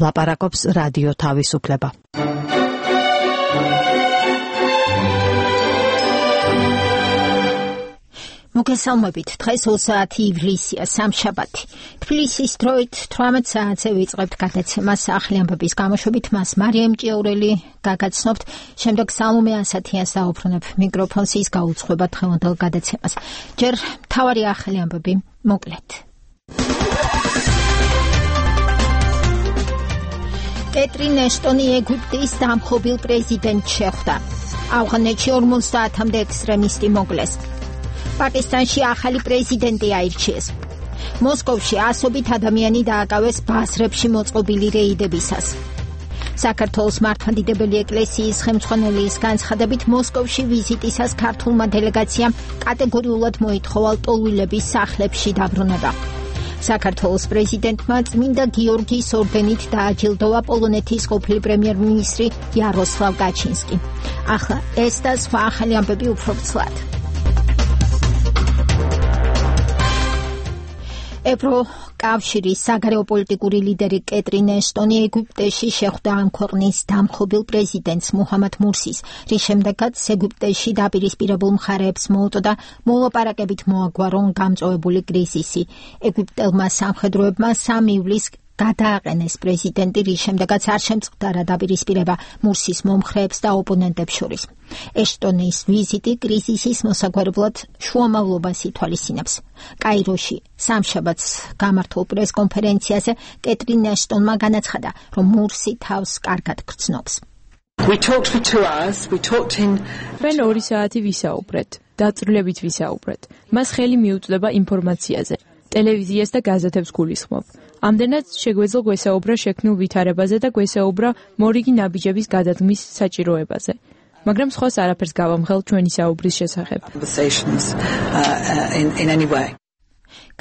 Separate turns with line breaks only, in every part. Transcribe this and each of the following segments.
ლაპარაკობს რადიო თავისუფლება. მოგესალმებით, დღეს 20 ივლისია, სამშაბათი. თბილისის დროით 18 საათზე ვიწყებთ გადაცემას ახალი ამბების გამოშვებით, მას მარიამ ჭიაურელი გაგაცნობთ, შემდეგ სალომე ასათიანს დაუბრუნებ მიკროფონს, ის გაუძღვება დღევანდელ გადაცემას. ჯერ მთავარი ახალი ამბები მოკლედ. კეტრინ ეშტონი ეგვიპტის დამხობილ პრეზიდენტს შეხვდა. ავღანეთში 50-მდე ექსტრემისტი მოკლეს. პაკისტანში ახალი პრეზიდენტი აირჩიეს. მოსკოვში ასობით ადამიანი დააკავეს ბაზრებში მოწყობილი რეიდებისას. საქართველოს მართლმადიდებელი ეკლესიის ხელმძღვანელის განცხადებით, მოსკოვში ვიზიტისას ქართულმა დელეგაციამ კატეგორიულად მოითხოვა ლტოლვილების სახლებში დაბრუნება. საქართველოს პრეზიდენტმა წმინდა გიორგის ორდენით დააჯილდოვა პოლონეთის ყოფილი პრემიერ-მინისტრი იაროსლავ გაჩინსკი. ახლა ეს და სხვა ახალი ამბები უფრო ცვლად. ევროკავშირის საგარეო პოლიტიკური ლიდერი კეტრინ ეშტონი ეგვიპტეში შეხვდა ამ ქვეყნის დამხობილ პრეზიდენტს მუჰამად მურსის, რის შემდეგაც ეგვიპტეში დაპირისპირებულ მხარეებს მოუწოდა მოლაპარაკებით მოაგვარონ გამწვავებული კრიზისი. ეგვიპტელმა სამხედროებმა 3 ივლისს გადააყენეს პრეზიდენტი, რის შემდეგაც არ შემწყდარა დაპირისპირება მურსის მომხრეებს და ოპონენტებს შორის. ეშტონის ვიზიტი კრიზისის მოსაგვარებლად შუამავლობას ითვალისწინებს. კაიროში სამშაბათს გამართულ პრესკონფერენციაზე კეტრინ ეშტონმა განაცხადა, რომ მურსი თავს კარგად გრძნობს.
ჩვენ 2 საათი ვისაუბრეთ, დაწვრილებით ვისაუბრეთ. მას ხელი მიუწვდება ინფორმაციაზე. ტელევიზიას და გაზეთებს გულისხმობ. ამდენად შეგვეძლო გვესაუბრა შექმნილ ვითარებაზე და გვესაუბრა მორიგი ნაბიჯების გადადგმის საჭიროებაზე. მაგრამ სხვას არაფერს გავამხელ ჩვენი საუბრის შესახებ.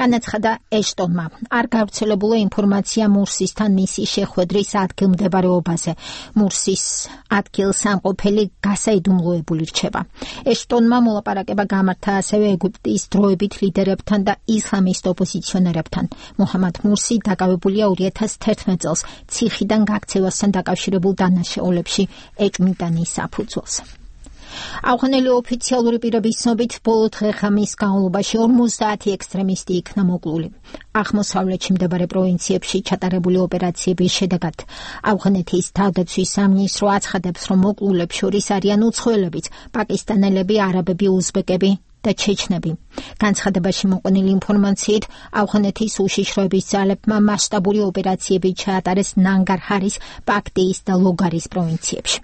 განაცხადა ეშტონმა. არ გავრცელებულა ინფორმაცია მურსისთან მისი შეხვედრის ადგილმდებარეობაზე. მურსის ადგილსამყოფელი გასაიდუმლოებული რჩება. ეშტონმა მოლაპარაკება გამართა ასევე ეგვიპტის დროებით ლიდერებთან და ისლამისტ ოპოზიციონერებთან. მუჰამად მურსი დაკავებულია 2011 წელს ციხიდან გაქცევასთან დაკავშირებულ დანაშაულებში ეჭვმიტანის საფუძველს. ავღანელი ოფიციალური პირების ცნობით, ბოლო დღე-ღამის განმავლობაში 50 ექსტრემისტი იქნა მოკლული. აღმოსავლეთში მდებარე პროვინციებში ჩატარებული ოპერაციების შედეგად ავღანეთის თავდაცვის სამინისტრო აცხადებს, რომ მოკლულებს შორის არიან უცხოელებიც, პაკისტანელები, არაბები, უზბეკები და ჩეჩნები. განცხადებაში მოყვანილი ინფორმაციით, ავღანეთის უშიშროების ძალებმა მასშტაბური ოპერაციები ჩაატარეს ნანგარჰარის, პაქტიის და ლოგარის პროვინციებში.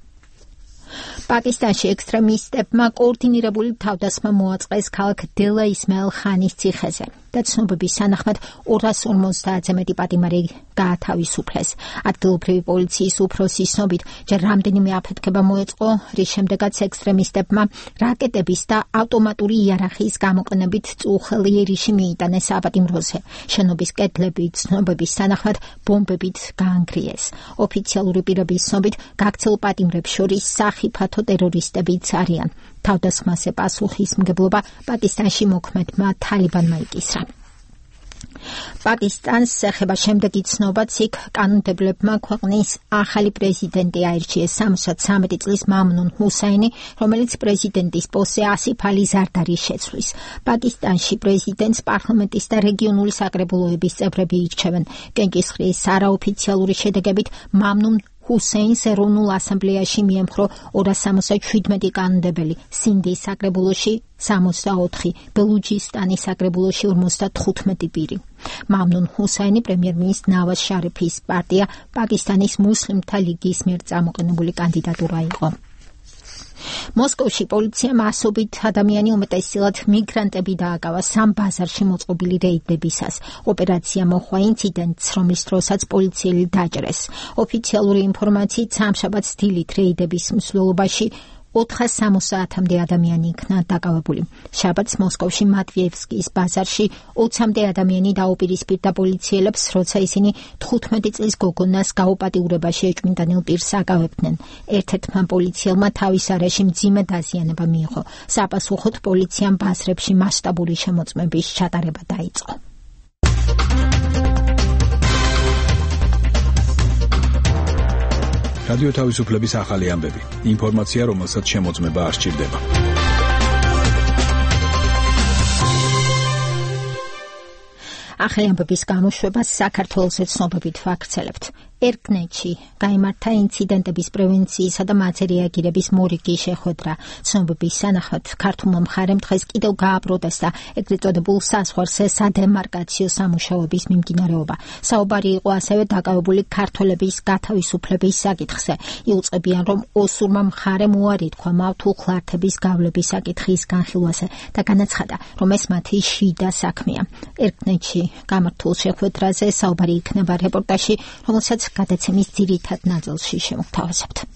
პაკისტანში ექსტრემისტებმა კოორდინირებული თავდასხმა მოაწყეს ქალაქ დელა ისმაილ ხანის ციხეზე და ცნობების თანახმად 250-ზე მეტი პატიმარი გაათავისუფლეს. ადგილობრივი პოლიციის უფროსის ცნობით, ჯერ რამდენიმე აფეთქება მოეწყო, რის შემდეგაც ექსტრემისტებმა რაკეტების და ავტომატური იარაღის გამოყენებით წუხელი ერიში მიიტანეს საპატიმროზე. შენობის კედლები ცნობების თანახმად ბომბებით გაანგრიეს. ოფიციალური პირების ცნობით, გაქცეულ პატიმრებს შორის სახიფათო ტერორისტებიც არიან. თავდასხმაზე პასუხისმგებლობა პაკისტანში მოქმედმა თალიბანმა იკისრა. პაკისტანს ეხება შემდეგი ცნობაც, იქ კანონმდებლებმა ქვეყნის ახალი პრეზიდენტი აირჩიეს 63 წლის მამნუნ ჰუსაინი, რომელიც პრეზიდენტის პოსტზე ასიფ ალი ზარდარის შეცვლის. პაკისტანში პრეზიდენტს პარლამენტის და რეგიონული საკრებულოების წევრები ირჩევენ. კენჭისყრის არაოფიციალური შედეგებით მამნუნ ჰუსეინს ეროვნულ ასამბლეაში მიემხრო 277 კანონმდებელი, სინდის საკრებულოში 64, ბელუჯისტანის საკრებულოში 55 პირი. მამნუნ ჰუსაინი პრემიერ-მინისტრის ნავაზ შარიფის პარტია პაკისტანის მუსლიმთა ლიგის მიერ წამოყენებული კანდიდატურა იყო. მოსკოვში პოლიციამ ასობით ადამიანი, უმეტესწილად მიგრანტები დააკავა 3 ბაზარში მოწყობილი რეიდებისას. ოპერაცია მოხდა ინციდენტს, რომლის დროსაც პოლიციელი დაჭრეს. ოფიციალური ინფორმაციით, სამშაბათს დილით რეიდების მსვლელობაში 470-მდე ადამიანი იქნა დაკავებული. შაბათს მოსკოვში მატვიევსკის ბაზარში 20-მდე ადამიანი დაუპირისპირდა პოლიციელებს, როცა ისინი 15 წლის გოგონას გაუპატიურებაში ეჭვმიტანილ პირს აკავებდნენ. ერთ-ერთმა პოლიციელმა თავის არეში მძიმე დაზიანება მიიღო. საპასუხოდ პოლიციამ ბაზრებში მასშტაბური შემოწმების ჩატარება დაიწყო.
რადიო თავისუფლების ახალი ამბები. ინფორმაცია, რომელსაც შემოწმება არ სჭირდება.
ახალი ამბების გამოშვებას საქართველოს ცნობებით ვაქცელებთ. ერკნეტში გაიმართა ინციდენტების პრევენციისა და მათზე რეაგირების მორიგი შეხვედრა. ცნობების თანახმად ქართულმა მხარემ დღეს კიდევ გააპროტესტა ეგრეთ წოდებულ საზღვარზე სადემარკაციო სამუშაოების მიმდინარეობა. საუბარი იყო ასევე დაკავებული ქართველების გათავისუფლების საკითხზე. იუწყებიან, რომ ოსურმა მხარემ უარი თქვა მავთულხლართების გავლების საკითხის განხილვაზე და განაცხადა, რომ ეს მათი შიდა საქმეა. ერკნეტში გამართულ შეხვედრაზე საუბარი იქნება რეპორტაჟში, რომელსაც გადაცემის ძირითად ნაწილში შემოგთავაზებთ.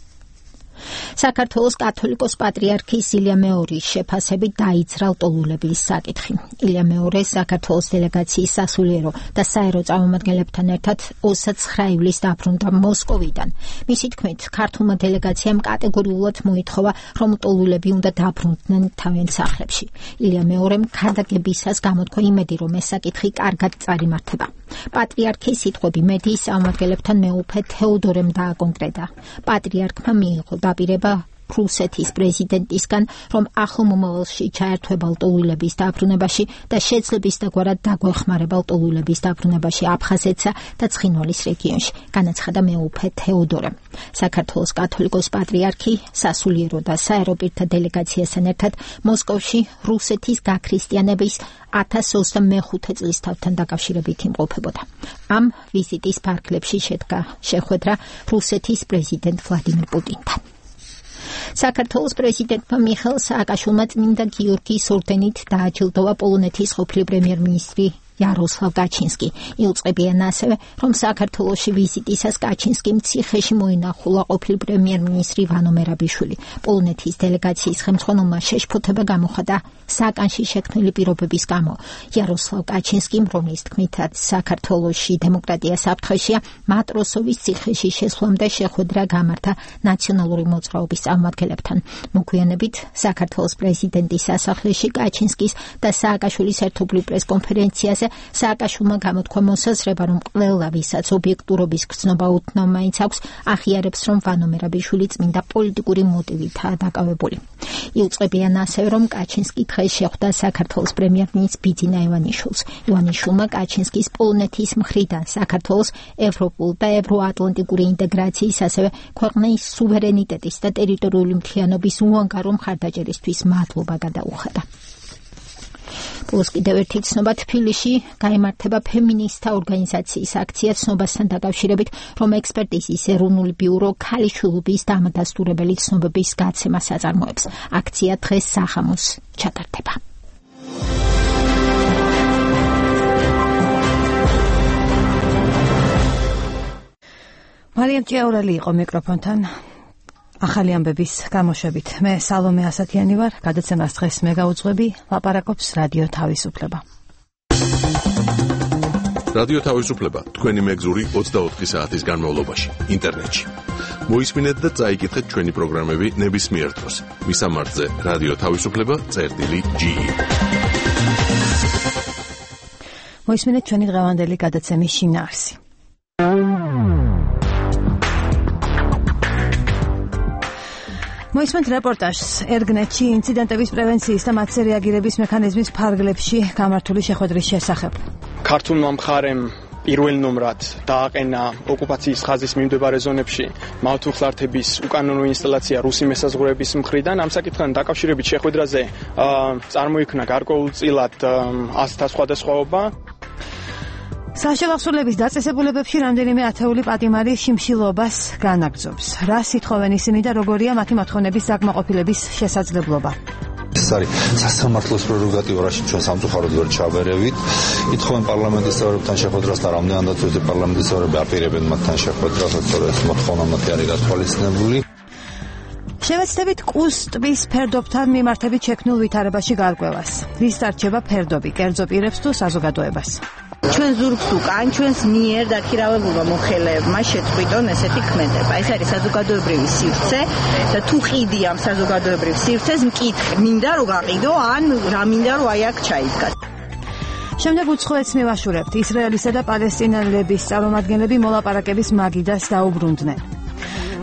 საქართველოს კათოლიკოს პატრიარქის ილია მეორის შეფასებით დაიძრა ლტოლულების საკითხი. ილია მეორე საქართველოს დელეგაციის სასულიერო და საერო წარმომადგენლებთან ერთად 29 ივლისს დაბრუნდა მოსკოვიდან. მისი თქმით, ქართულმა დელეგაციამ კატეგორიულად მოითხოვა, რომ ლტოლულები უნდა დაბრუნდნენ თავიანთ სახლებში. ილია მეორემ ქადაგებისას გამოთქვა იმედი, რომ ეს საკითხი კარგად წარიმართება. პატრიარქის სიტყვები მედიის წარმომადგენლებთან მეუფე თეოდორემ დააკონკრეტა. პატრიარქმა მიიღო დაპირება რუსეთის პრეზიდენტისგან, რომ ახლო მომავალში ჩაერთვება ლტოლვილების დაბრუნებაში და შეძლებს დაგვარად დაგვეხმარება ლტოლვილების დაბრუნებაში აფხაზეთსა და ცხინვალის რეგიონში, განაცხადა მეუფე თეოდორემ. საქართველოს კათოლიკოს პატრიარქი სასულიერო და საერო პირთა დელეგაციასთან ერთად მოსკოვში რუსეთის გაქრისტიანების 1025 წლის თავთან დაკავშირებით იმყოფებოდა. ამ ვიზიტის ფარგლებში შედგა შეხვედრა რუსეთის პრეზიდენტ ვლადიმირ პუტინთან. საქართველოს პრეზიდენტმა მიხეილ სააკაშვილმა წმინდა გიორგის ორდენით დააჯილდოვა პოლონეთის ყოფილი პრემიერ-მინისტრი იაროსლავ კაჩინსკი. იუწყებიან ასევე, რომ საქართველოში ვიზიტისას კაჩინსკიმ ციხეში მოინახულა ყოფილი პრემიერ-მინისტრი ვანო მერაბიშვილი. პოლონეთის დელეგაციის ხელმძღვანელმა შეშფოთება გამოხატა საკანში შექმნილი პირობების გამო. იაროსლავ კაჩინსკიმ, რომლის თქმითაც საქართველოში დემოკრატია საფრთხეშია, მატროსოვის ციხეში შესვლამდე შეხვედრა გამართა ნაციონალური მოძრაობის წარმომადგენლებთან. მოგვიანებით საქართველოს პრეზიდენტის სასახლეში კაჩინსკის და სააკაშვილის ერთობლივ პრესკონფერენციაზე სააკაშვილმა გამოთქვა მოსაზრება, რომ ყველა ვისაც ობიექტურობის გრძნობა უთნო მაინც აქვს, აღიარებს, რომ ვანო მერაბიშვილი წმინდა პოლიტიკური მოტივითაა დაკავებული. იუწყებიან ასევე, რომ კაჩინსკი დღეს შეხვდა საქართველოს პრემიერ-მინისტრ ბიძინა ივანიშვილს. ივანიშვილმა კაჩინსკის პოლონეთის მხრიდან საქართველოს ევროპულ და ევროატლანტიკური ინტეგრაციის, ასევე ქვეყნის სუვერენიტეტის და ტერიტორიული მთლიანობის უანგარო მხარდაჭერისთვის მადლობა გადაუხადა. პლუს კიდევ ერთი ცნობა, თბილისში გაიმართება ფემინისტთა ორგანიზაციის აქცია ცნობასთან დაკავშირებით, რომ ექსპერტიზის ეროვნული ბიურო ქალიშვილობის დამადასტურებელი ცნობების გაცემას აწარმოებს. აქცია დღეს სახამოს ჩატარდება.
მარიამ ჭიაურელი იყო მიკროფონთან. ახალი ამბების გამოშვებით. მე სალომე ასათიანი ვარ, გადაცემას დღეს მე გაუძღვები, ლაპარაკობს რადიო თავისუფლება.
რადიო თავისუფლება თქვენი მეგზური 24 საათის განმავლობაში ინტერნეტში. მოისმინეთ და წაიკითხეთ ჩვენი პროგრამები ნებისმიერ დროს. მისამართზე რადიო თავისუფლება.ge.
მოისმინეთ ჩვენი დღევანდელი გადაცემის შინაარსი. მოისმენთ რეპორტაჟს ერგნეტში ინციდენტების პრევენციის და მათზე რეაგირების მექანიზმის ფარგლებში გამართული შეხვედრის შესახებ.
ქართულმა მხარემ პირველ ნომრად დააყენა ოკუპაციის ხაზის მიმდებარე ზონებში მავთულხლართების უკანონო ინსტალაცია რუსი მესაზღვრეების მხრიდან. ამ საკითხთან დაკავშირებით შეხვედრაზე წარმოიქმნა გარკვეულწილად ასთა სხვადასხვაობა.
საშევახსოვლების დაწესებულებებში რამდენიმე ათეული პატიმარი შიმშილობას განაგრძობს. რა სითხოვენ ისინი და როგორია მათი მოთხოვნების საკმაყოფილების შესაძლებლობა?
ეს არის სასამართლოს პრეროგატივა, რაშიც ჩვენ სამწუხაროდ ვერ ჩავერევით. ითხოვენ პარლამენტის წევრებთან შეხვედრას და რამდენადაც ვეძებ პარლამენტის წევრები აპირებენ მათთან შეხვედრას, თორე ეს მოთხოვნა მათი არის გათვალისწინებული.
შევეცდებით კუს ტბის ფერდობთან მიმართებით შექმნილ ვითარებაში გარკვევას. ვის დარჩება ფერდობი, კერძო პირებს თუ საზოგადოებას?
ჩვენ ზურგს უკან ჩვენს მიერ დაქირავებულმა მოხელეებმა შეწყვიტონ ესეთი ქმედება. ეს არის საზოგადოებრივი სივრცე და თუ ყიდი ამ საზოგადოებრივ სივრცეს მკითხე, მინდა რომ გაყიდო ან რა მინდა რომ აი აქ ჩაიდგა.
შემდეგ უცხოეთს მივაშურებთ. ისრაელისა და პალესტინელების წარმომადგენლები მოლაპარაკების მაგიდას დაუბრუნდნენ.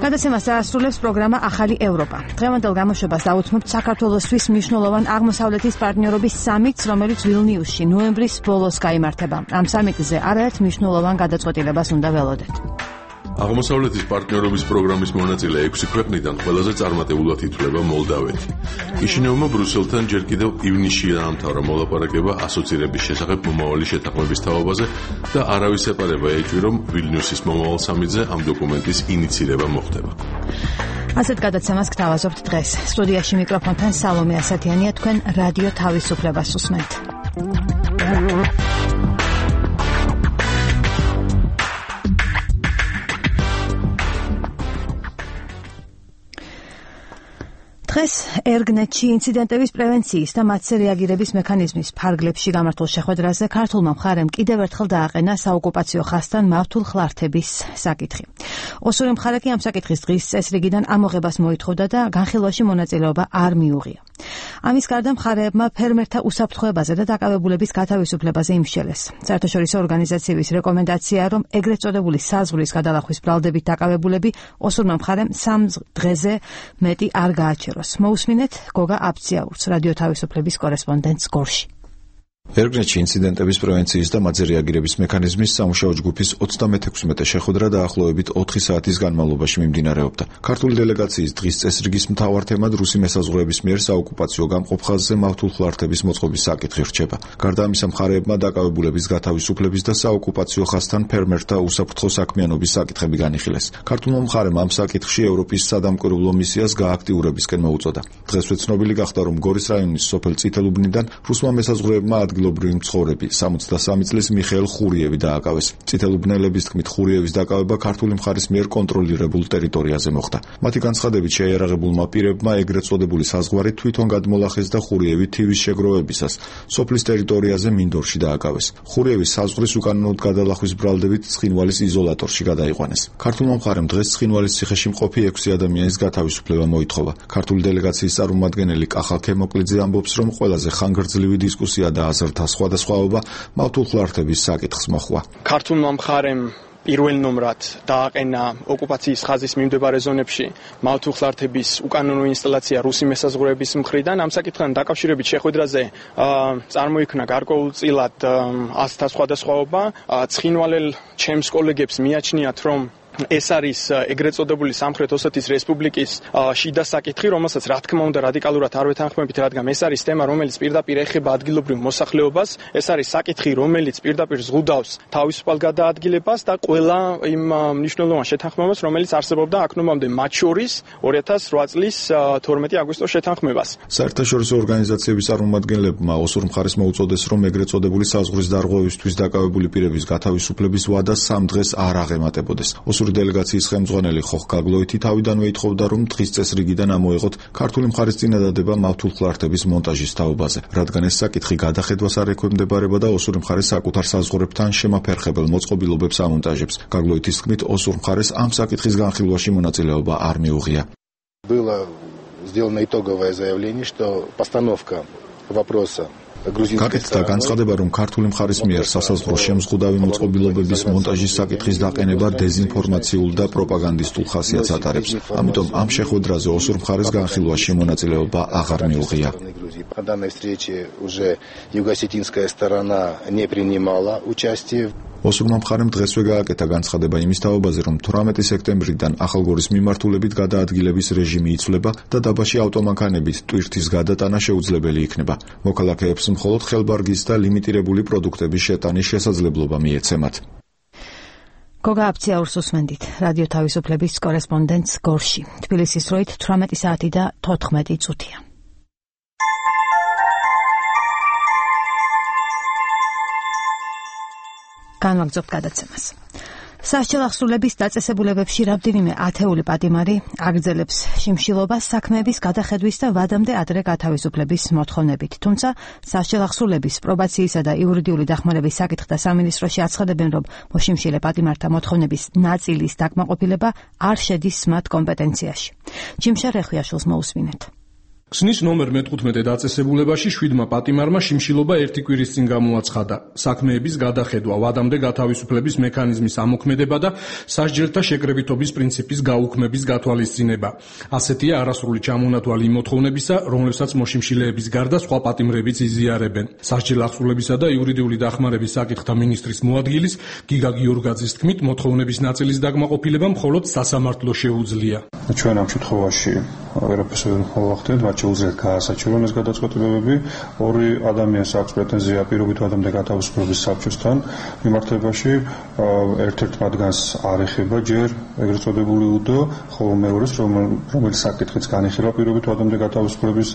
გადაცემას დაასრულებს პროგრამა ახალი ევროპა. დღევანდელ გამოშვებას დაუთმობთ საქართველოსთვის მნიშვნელოვან აღმოსავლეთის პარტნიორობის სამიტს, რომელიც ვილნიუსში ნოემბრის ბოლოს გაიმართება. ამ სამიტზე არაერთ მნიშვნელოვან გადაწყვეტილებას უნდა ველოდეთ.
აღმოსავლეთის პარტნიორობის პროგრამის მონაწილე 6 ქვეყნიდან ყველაზე წარმატებულად ითვლება მოლდავეთი. კიშინევმა ბრუსელთან ჯერ კიდევ ივნისში დაამთავრა მოლაპარაკება ასოცირების შესახებ მომავალი შეთანხმების თაობაზე და არავის ეპარება ეჭვი, რომ ვილნიუსის მომავალ სამიტზე ამ დოკუმენტის ინიცირება მოხდება.
ასეთ გადაცემას გთავაზობთ დღეს. სტუდიაში მიკროფონთან სალომე ასათიანია, თქვენ რადიო თავისუფლებას უსმენთ. დღეს ერგნეტში ინციდენტების პრევენციის და მათზე რეაგირების მექანიზმის ფარგლებში გამართულ შეხვედრაზე ქართულმა მხარემ კიდევ ერთხელ დააყენა საოკუპაციო ხაზთან მავთულ ხლართების საკითხი. ოსური მხარე კი ამ საკითხის დღის წესრიგიდან ამოღებას მოითხოვდა და განხილვაში მონაწილეობა არ მიუღია. ამის გარდა მხარეებმა ფერმერთა უსაფრთხოებაზე და დაკავებულების გათავისუფლებაზე იმსჯელეს. საერთაშორისო ორგანიზაციების რეკომენდაციაა, რომ ეგრეთ წოდებული საზღვრის გადალახვის ბრალდებით დაკავებულები ოსურმა მხარემ 3 დღეზე მეტი არ გააჩეროს. მოусმინეთ გოგა აბციაურს, რადიო თავისუფლების კორესპონდენტს გორში.
ერგნეტში ინციდენტების პრევენციის და მათზე რეაგირების მექანიზმის სამუშაო ჯგუფის 36-მე შეხვედრა დაახლოებით 4 საათის განმავლობაში მიმდინარეობდა. ქართული დელეგაციის დღის წესრიგის მთავარ თემად რუსი მესაზღვრეების მიერ საოკუპაციო გამყოფ ხაზზე მავთულ ხლართების მოწყობის საკითხი რჩება. გარდა ამისა, მხარეებმა დაკავებულების გათავისუფლების და საოკუპაციო ხაზთან ფერმერთა უსაფრთხო საქმიანობის საკითხები განიხილეს. ქართულმა მხარემ ამ საკითხში ევროპის სადამკვირვებლო მისიას გააქტიურებისკენ მოუწოდა. დღესვე ცნობილი გახდა, რომ გორის რაიონის სოფელ წითელუბნიდან რუსმა მესაზღვრეებმა ადგილობრივი მცხოვრები 63 წლის მიხეილ ხურიევი დააკავეს. წითელუბნელების თქმით, ხურიევის დაკავება ქართული მხარის მიერ კონტროლირებულ ტერიტორიაზე მოხდა. მათი განცხადებით, შეიარაღებულმა პირებმა ეგრეთ წოდებული საზღვარი თვითონ გადმოლახეს და ხურიევი თივის შეგროვებისას სოფლის ტერიტორიაზე მინდორში დააკავეს. ხურიევის საზღვრის უკანონოდ გადალახვის ბრალდებით ცხინვალის იზოლატორში გადაიყვანეს. ქართულმა მხარემ დღეს ცხინვალის ციხეში მყოფი 6 ადამიანის გათავისუფლება მოითხოვა. ქართული დელეგაციის წარმომადგენელი კახა ქემოკლიძე ამბობს, რომ ყველაზე ხანგრძლივი დისკუსია და აზრთა სხვადასხვაობა მავთულ ხლართების საკითხს მოხვა.
ქართულმა მხარემ პირველ ნომრად დააყენა ოკუპაციის ხაზის მიმდებარე ზონებში მავთულ ხლართების უკანონო ინსტალაცია რუსი მესაზღვრეების მხრიდან. ამ საკითხთან დაკავშირებით შეხვედრაზე წარმოიქმნა გარკვეულწილად აზრთა სხვადასხვაობა. ცხინვალელ ჩემს კოლეგებს მიაჩნიათ, რომ ეს არის ეგრეთ წოდებული სამხრეთ ოსეთის რესპუბლიკის შიდა საკითხი, რომელსაც რა თქმა უნდა რადიკალურად არ ვეთანხმებით, რადგან ეს არის თემა, რომელიც პირდაპირ ეხება ადგილობრივ მოსახლეობას. ეს არის საკითხი, რომელიც პირდაპირ ზღუდავს თავისუფალ გადაადგილებას და ყველა იმ მნიშვნელოვან შეთანხმებას, რომელიც არსებობდა აქ ნომამდე, მათ შორის 2008 წლის 12 აგვისტოს შეთანხმებას.
საერთაშორისო ორგანიზაციების წარმომადგენლებმა ოსურ მხარეს მოუწოდეს, რომ ეგრეთ წოდებული საზღვრის დარღვევისთვის დაკავებული პირების გათავისუფლების ვადა 3 დღეს არ აღემატებოდეს. დელეგაციის ხელმძღვანელი ხოხ გაგლოითი თავიდანვე ითხოვდა, რომ დღის წესრიგიდან ამოეღოთ ქართული მხარის წინადადება მავთულ ხლართების მონტაჟის თაობაზე, რადგან ეს საკითხი გადახედვას არ ექვემდებარება და ოსური მხარე საკუთარ საზღვრებთან შემაფერხებელ მოწყობილობებს ამონტაჟებს. გაგლოითის თქმით, osur მხარეს ამ საკითხის განხილვაში მონაწილეობა არ მიუღია.
Было сделано итоговое заявление, что постановка вопроса
გაკეთდა განცხადება, რომ ქართული მხარის მიერ სასაზღვრო შემზღუდავი მოწყობილობების მონტაჟის საკითხის დაყენება დეზინფორმაციულ და პროპაგანდისტულ ხასიათს ატარებს. ამიტომ ამ შეხვედრაზე ოსურ მხარეს განხილვაში მონაწილეობა აღარ მიუღია.
На данной встрече уже юго-осетинская сторона не принимала участие.
ოსურმა მხარემ დღესვე გააკეთა განცხადება იმის თაობაზე, რომ 18 სექტემბრიდან ახალგორის მიმართულებით გადაადგილების რეჟიმი იცვლება და დაბაში ავტომანქანებით ტვირთის გადატანა შეუძლებელი იქნება. მოქალაქეებს მხოლოდ ხელბარგის და ლიმიტირებული პროდუქტების შეტანის შესაძლებლობა მიეცემათ.
გოგა აბციაურს უსმენდით, რადიო თავისუფლების კორესპონდენტს გორში. თბილისის დროით 18 საათი და 14 წუთია. განვაგრძობთ გადაცემას. სასჯელ აღსრულების დაწესებულებებში რამდენიმე ათეული პატიმარი აგრძელებს შიმშილობას საქმეების გადახედვის და ვადამდე ადრე გათავისუფლების მოთხოვნებით. თუმცა სასჯელ აღსრულების პრობაციისა და იურიდიული დახმარების საკითხთა სამინისტროში აცხადებენ, რომ მოშიმშილე პატიმართა მოთხოვნების ნაწილის დაკმაყოფილება არ შედის მათ კომპეტენციაში. ჯიმშა რეხვიაშვილს მოусმინეთ.
ქსნის ნომერ 15 დაწესებულებაში 7-მა პატიმარმა შიმშილობა 1 კვირის წინ გამოაცხადა. საქმეების გადახედვა, ვადამდე გათავისუფლების მექანიზმის ამოქმედება და სასჯელთა შეკრებითობის პრინციპის გაუქმების გათვალისწინება. ასეთია არასრული ჩამონათვალი იმ მოთხოვნებისა, რომლებსაც მოშიმშილეების გარდა სხვა პატიმრებიც იზიარებენ. სასჯელ აღსრულებისა და იურიდიული დახმარების საკითხთა მინისტრის მოადგილის გიგა გიორგაძის თქმით, მოთხოვნების ნაწილის დაკმაყოფილება მხოლოდ სასამართლო შეუძლია.
ჩვენ ამ შემთხვევაში ვერაფერს ვერ ვხდით, მათ შეუძლიათ გაასაჩივრონ ეს გადაწყვეტილებები. ორი ადამიანს აქვს პრეტენზია პირობით ვადამდე გათავისუფლების საბჭოსთან მიმართებაში. ერთ-ერთ მათგანს არ ეხება ჯერ ეგრეთ წოდებული უდო, ხოლო მეორეს, რომელიც საკითხიც განიხილვა პირობით ვადამდე გათავისუფლების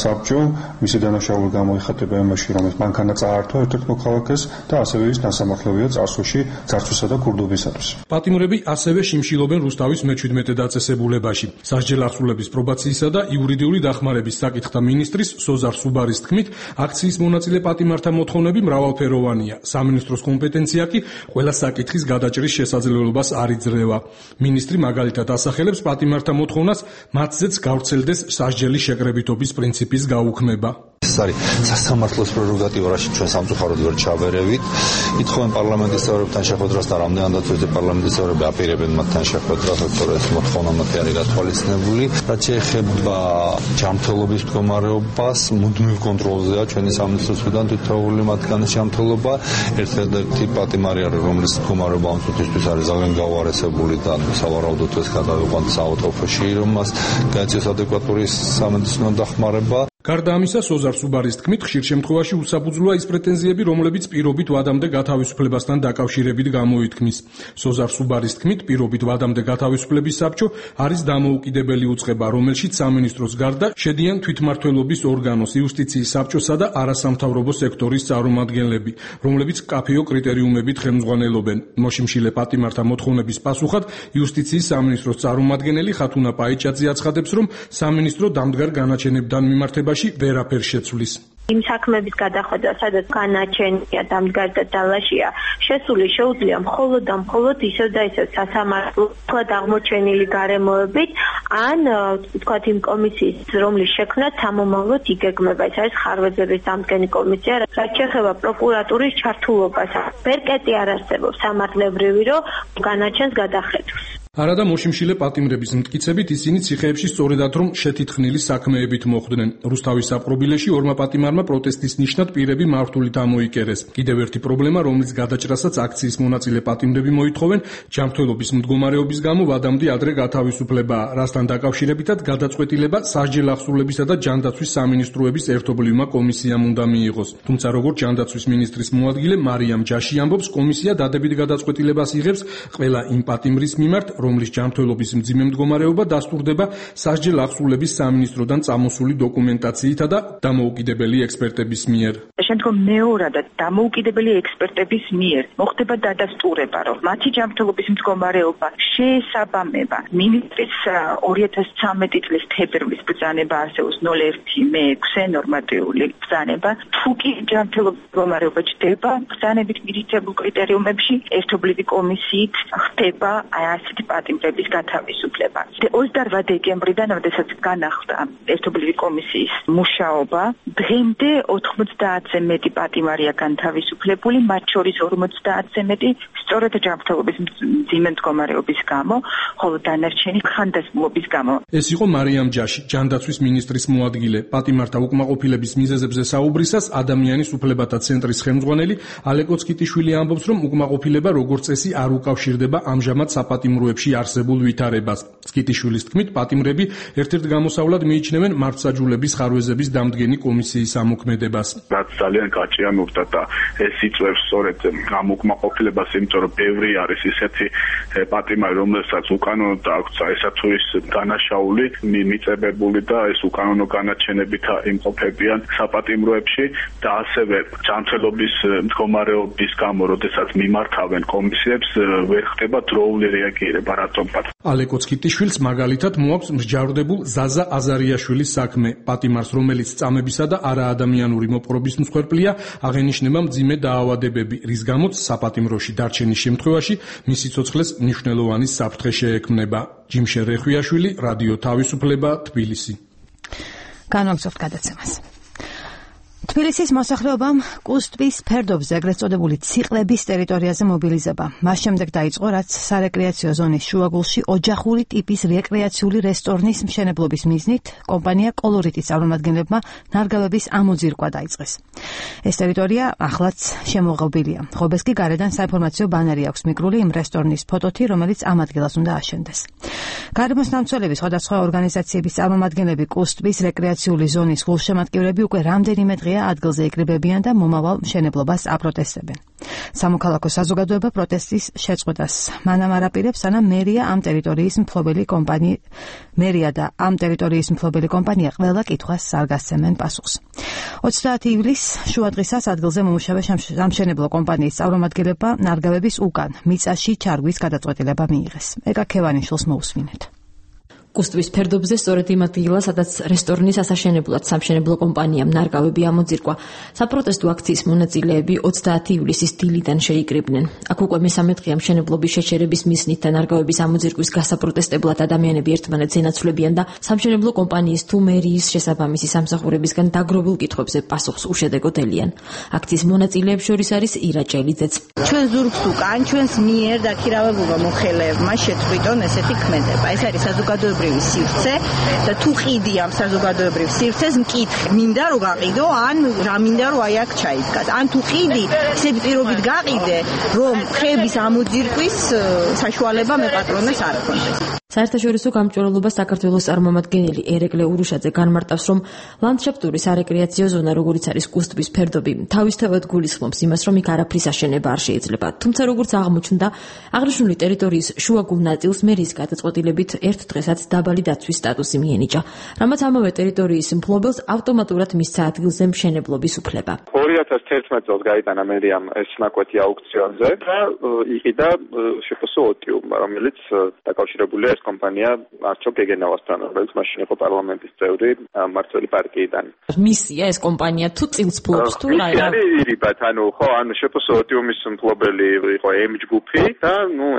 საბჭო, მისი დანაშაული გამოიხატება იმაში, რომ მანქანა წაართვა ერთ-ერთ მოქალაქეს და ასევე ის დასამართლებია წარსულში ძარცვისა და ქურდობისათვის.
პატიმრები ასევე შიმშილობენ რუსთავის მე-17 დაწესებულებაში. სასჯელ აღსრულების პრობაციისა და იურიდიული დახმარების საკითხთა მინისტრის სოზარ სუბარის თქმით, აქციის მონაწილე პატიმართა მოთხოვნები მრავალფეროვანია. სამინისტროს კომპეტენცია კი ყველა საკითხის გადაჭრის შესაძლებლობას არ იძლევა. მინისტრი მაგალითად ასახელებს პატიმართა მოთხოვნას, მათზეც გავრცელდეს სასჯელის შეკრებითობის პრინციპის გაუქმება.
ეს არის სასამართლოს პრეროგატივა, რაშიც ჩვენ სამწუხაროდ ვერ ჩავერევით. ითხოვენ პარლამენტის წევრებთან შეხვედრას და რამდენადაც ვეძებ პარლამენტის წევრები აპირებენ მათთან შეხვედრას, თორე ეს მოთხოვნა მათი არის გათვალისწინებული. რაც შეეხება ჯანმრთელობის მდგომარეობას, მუდმივ კონტროლზეა ჩვენი სამინისტროს მხრიდან თითოეული მათგანის ჯანმრთელობა. ერთ-ერთი პატიმარი არის, რომლის მდგომარეობა ამ წუთისთვის არის ძალიან გაუარესებული და სავარაუდოდ ეს გადავიყვანთ საავადმყოფოში, რომ მას გაეწიოს ადეკვატური სამედიცინო დახმარება.
გარდა ამისა, სოზარ სუბარის თქმით, ხშირ შემთხვევაში უსაფუძვლოა ის პრეტენზიები, რომლებიც პირობით ვადამდე გათავისუფლებასთან დაკავშირებით გამოითქმის. სოზარ სუბარის თქმით, პირობით ვადამდე გათავისუფლების საბჭო არის დამოუკიდებელი უწყება, რომელშიც სამინისტროს გარდა შედიან თვითმმართველობის ორგანოს, იუსტიციის საბჭოსა და არასამთავრობო სექტორის წარმომადგენლები, რომლებიც მკაფიო კრიტერიუმებით ხელმძღვანელობენ. მოშიმშილე პატიმართა მოთხოვნების პასუხად იუსტიციის სამინისტროს წარმომადგენელი ხათუნა პაიჭაძე აცხადებს, რომ სამინისტრო დამდგარ განაჩენებთან მიმართება ვერაფერ შეცვლის.
იმ საქმეების გადახედვა, სადაც განაჩენია დამდგარ და დალაშია, შესული შეუძლია მხოლოდ და მხოლოდ ისევ და ისევ სასამართლოდ აღმოჩენილი გარემოებით, ან ვთქვათ იმ კომისიის, რომლის შექმნაც სამომავლოდ იგეგმება. ეს არის ხარვეზების დამდგენი კომისია, რაც შეეხება პროკურატურის ჩართულობას. ბერკეტი არ არსებობს სამართლებრივი, რომ განაჩენს გადახედვას.
არადა მოშიმშილე პატიმრების მტკიცებით ისინი ციხეებში სწორედად რომ შეთითხნილი საქმეებით მოხვდნენ. რუსთავის საპყრობილეში ორმა პატიმარმა პროტესტის ნიშნად პირები მართულით ამოიკერეს. კიდევ ერთი პრობლემა, რომლის გადაჭრასაც აქციის მონაწილე პატიმრები მოითხოვენ, ჯანმრთელობის მდგომარეობის გამო ვადამდე ადრე გათავისუფლებაა, რასთან დაკავშირებითად გადაწყვეტილება სასჯელ აღსრულებისა და ჯანდაცვის სამინისტროების ერთობლივმა კომისიამ უნდა მიიღოს. თუმცა როგორც ჯანდაცვის მინისტრის მოადგილე მარიამ ჯაში ამბობს, კომისია დადებით გადაწყვეტილებას იღებს ყველა იმ პატიმრის მიმართ, რომლის ჯანმრთელობის მძიმე მდგომარეობა დასტურდება სასჯელ აღსრულების სამინისტროდან წამოსული დოკუმენტაციითა და დამოუკიდებელი ექსპერტების მიერ.
შემდგომ მეორადად დამოუკიდებელი ექსპერტების მიერ მოხდება დადასტურება, რომ მათი ჯანმრთელობის მდგომარეობა შეესაბამება მინისტრის 2013 წლის თებერვლის ბრძანება არსებობს 01/06 ნორმატიული ბრძანება. თუ კი ჯანმრთელობის მდგომარეობა ჩდება ბრძანებით მირიცხებულ კრიტერიუმებში, ერთობლივი კომისიით ხდება ასეთი პატიმრების გათავისუფლება. 28 დეკემბრიდან, როდესაც განახლდა ერთობლივი კომისიის მუშაობა, დღემდე 90-ზე მეტი პატიმარია განთავისუფლებული, მათ შორის 50-ზე მეტი სწორედ ჯანმრთელობის მძიმე მდგომარეობის გამო, ხოლო დანარჩენი ხანდაზმულობის გამო.
ეს იყო მარიამ ჯაში, ჯანდაცვის მინისტრის მოადგილე. პატიმართა უკმაყოფილების მიზეზებზე საუბრისას ადამიანის უფლებათა ცენტრის ხელმძღვანელი ალეკო ცკიტიშვილი ამბობს, რომ უკმაყოფილება როგორც წესი არ უკავშირდება ამჟამად საპატიმროებში არსებულ ვითარებას. ცკიტიშვილის თქმით, პატიმრები ერთ-ერთ გამოსავლად მიიჩნევენ მართლმსაჯულების ხარვეზების დამდგენი კომისიის ამოქმედებას.
რაც ძალიან კაჭია მოვდა და ეს იწვევს სწორედ ამ უკმაყოფილებას, იმიტომ რომ ბევრი არის ისეთი პატიმარი, რომელსაც უკანონოდ აქვს ესა თუ ის დანაშაული მიწებებული და ეს უკანონო განაჩენებით იმყოფებიან საპატიმროებში და ასევე ჯანმრთელობის მდგომარეობის გამო, როდესაც მიმართავენ კომისიებს, ვერ ხდება დროული რეაგირება რატომღაც.
ალეკო ცკიტიშვილს მაგალითად მოაქვს მსჯავრდებულ ზაზა აზარიაშვილის საქმე. პატიმარს, რომელიც წამებისა და არაადამიანური მოპყრობის მსხვერპლია, აღენიშნება მძიმე დაავადებები, რის გამოც საპატიმროში დარჩენის შემთხვევაში მისი ცოცხლეს მნიშვნელოვანი საფრთხე შეექმნება. ჯიმშე რეხვიაშვილი, რადიო თავისუფლება, თბილისი.
განვაგრძობთ გადაცემას. თბილისის მოსახლეობამ კუსტვის ფერდობზე ეგრეთ წოდებული ციკლების ტერიტორიაზე მობილიზება. მას შემდეგ დაიწყო, რაც სარეკრეაციო ზონის შუაგულში ოჯახური ტიპის რეკრეაციული რესტორნის მშენებლობის მიზნით კომპანია კოლორიტის წარმომადგენლებმა ნარგავების ამოძირკვა დაიწყეს. ეს ტერიტორია ახლაც შემოღობილია. ხობეს კი გარედან საინფორმაციო ბანერი აქვს მიკრული იმ რესტორნის ფოტოთი, რომელიც ამ ადგილას უნდა აშენდეს. გარემოს დამცველების სხვადასხვა ორგანიზაციების წარმომადგენლები კუსტვის რეკრეაციული ზონის გულშემატკივრები უკვე რამდენიმე დღეა ადგილზე იკრიბებიან და მომავალ მშენებლობას აპროტესტებენ. სამოქალაქო საზოგადოება პროტესტის შეწყვეტას მანამ არაპირებს, სანამ მერია და ამ ტერიტორიის მფლობელი კომპანია ყველა კითხვას არ გასცემენ პასუხს. 30 ივლისს შუადღისას ადგილზე მომუშავე სამშენებლო კომპანიის წარმომადგენლებმა ნარგავების უკან მიწაში ჩარგვის გადაწყვეტილება მიიღეს. ეკა ქევანიშვილს მოусმინეთ.
კუსტვის ფერდობზე სწორედ იმ ადგილას, სადაც რესტორნის ასაშენებლად სამშენებლო კომპანიამ ნარგავები ამოძირკვა. საპროტესტო აქციის მონაწილეები 30 ივლისის დილიდან შეიკრიბნენ. აქ უკვე მესამე დღეა მშენებლობის შეჩერების მიზნით და ნარგავების ამოძირკვის გასაპროტესტებლად ადამიანები ერთმანეთს ენაცვლებიან და სამშენებლო კომპანიის თუ მერიის შესაბამისი სამსახურებისგან დაგროვილ კითხვებზე პასუხს უშედეგოდ ელიან. აქციის მონაწილეებს შორის არის ირა ჭელიძეც.
ჩვენ ზურგს უკან ჩვენს მიერ დაქირავებულმა მოხელეებმა შეწყვიტონ ესეთი ქმედება. ეს არის საზოგადოებრივი სივრცე და თუ ყიდი ამ საზოგადოებრივ სივრცეს მკითხე მინდა რომ გაყიდო ან რა მინდა რომ აი აქ ჩაიდგას ან თუ ყიდი ისეთი პირობით გაყიდე რომ ხეების ამოძირკვის საშუალება მე პატრონებს არ ქონდეს.
საერთაშორისო გამჭვირვალობას საქართველოს წარმომადგენელი ერეკლე ურუშაძე განმარტავს, რომ ლანდშაფტური სარეკრეაციო ზონა, როგორიც არის კუსტვის ფერდობი, თავისთავად გულისხმობს იმას, რომ იქ არაფრის აშენება არ შეიძლება. თუმცა როგორც აღმოჩნდა, აღნიშნული ტერიტორიის შუაგულ ნაწილს მერიის გადაწყვეტილებით ერთ დღესაც დაბალი დაცვის სტატუსი მიენიჭა, რამაც ამავე ტერიტორიის მფლობელს ავტომატურად მისცა ადგილზე მშენებლობის უფლება.
2011 წელს გაიტანა მერიამ ეს ნაკვეთი აუქციონზე და იყიდა შეფასო ოტიუმ, რომელიც დაკავშირებულია კომპანია არჩო გეგენავასთან, რომელიც მაშინ იყო პარლამენტის წევრი მმართველი პარტიიდან.
მისია ეს კომპანია თუ წილს ფლობს თუ რა?
ირიბათ, ანუ შეფასო ოტიუმის მფლობელი იყო M ჯგუფი და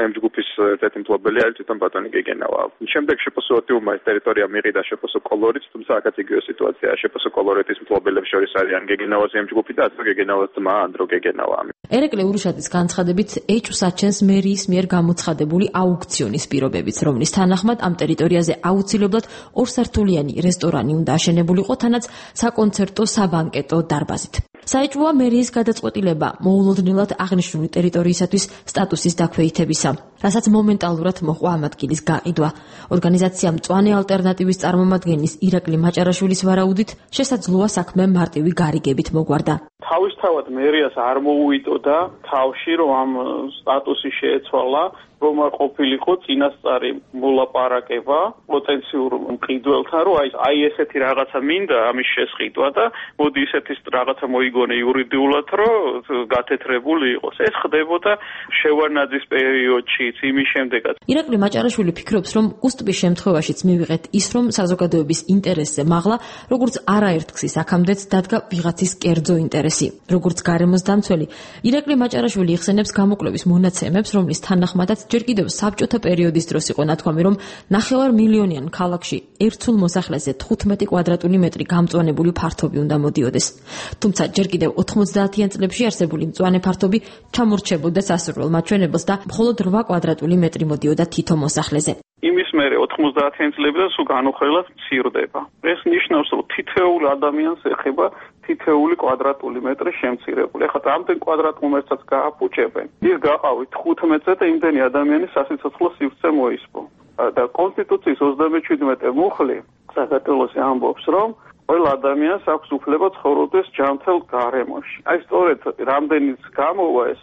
M ჯგუფის ერთ-ერთი მფლობელი არის თვითონ ბატონი გეგენავა. შემდეგ შეფასო ოტიუმმა ეს ტერიტორია მიიღო შეფასო კოლორიტს, თუმცა აქაც იგივე სიტუაციაა. შეფასო კოლორიტის მფლობელებს შორის არიან გეგენავას M ჯგუფი და ასე გეგენავას ძმა ანდრო გეგენავა.
ერეკლე ურუშაძის განცხადებით ეჭვს აჩენს მერიის მიერ გამოცხადებული აუქციონის პირობებიც, რომლის თანახმად ამ ტერიტორიაზე აუცილებლად ორსართულიანი რესტორანი უნდა აშენებულიყო, თანაც საკონცერტო საბანკეტო დარბაზით. საეჭვოა მერიის გადაწყვეტილება მოულოდნელად აღნიშნული ტერიტორიისათვის სტატუსის დაქვეითებისა, რასაც მომენტალურად მოყვა ამ ადგილის გაყიდვა. ორგანიზაცია მწვანე ალტერნატივის წარმომადგენლის ირაკლი მაჭარაშვილის ვარაუდით შესაძლოა საქმე მარტივი გარიგებით მოგვარდა.
თავისთავად მერიას არ მოუვიდოდა თავში, რომ ამ სტატუსი შეეცვალა, რომ არ ყოფილიყო წინასწარი მოლაპარაკება პოტენციურ მყიდველთან, რომ აი ესეთი რაღაცა მინდა ამის შესყიდვა და მოდი ისეთი რაღაცა მოიგონე იურიდიულად, რომ გათეთრებული იყოს. ეს ხდებოდა შევარნაძის პერიოდშიც, იმის შემდეგაც.
ირაკლი მაჭარაშვილი ფიქრობს, რომ კუსტვის შემთხვევაშიც მივიღეთ ის, რომ საზოგადოების ინტერესზე მაღლა, როგორც არაერთგზის აქამდეც დადგა ვიღაცის კერძო ინტერესი. როგორც გარემოს დამცველი, ირაკლი მაჭარაშვილი იხსენებს გამოკვლევის მონაცემებს, რომლის თანახმადაც ჯერ კიდევ საბჭოთა პერიოდის დროს იყო ნათქვამი, რომ 9 მილიონიან ქალაქში ერთსულ მოსახლეზე 15 კვადრატული მეტრი გამწვანებული ფართობი უნდა მოდიოდეს. თუმცა ჯერ კიდევ 90-იან წლებში არსებული მწვანე ფართობი ჩამორჩებოდა სასურველ მაჩვენებელს და მხოლოდ 8 კვადრატული მეტრი მოდიოდა თითო მოსახლეზე.
იმის მერე 90-იან წლებიდან სულ განუხრელად მცირდება. ეს ნიშნავს, რომ თითოეულ ადამიანს ეხება თითოეული კვადრატული მეტრი შემცირებული. ეხლა ამდენ კვადრატულ მეტრსაც გააფუჭებენ. ის გაყავით 15-ზე და იმდენი ადამიანის სასიცოცხლო სივრცე მოისპო. და კონსტიტუციის 37 მუხლი საქართველოს ამბობს, რომ ყველა ადამიანს აქვს უფლება ცხოვრობდეს ჯანმრთელ გარემოში. აი სწორედ რამდენიც გამოვა ეს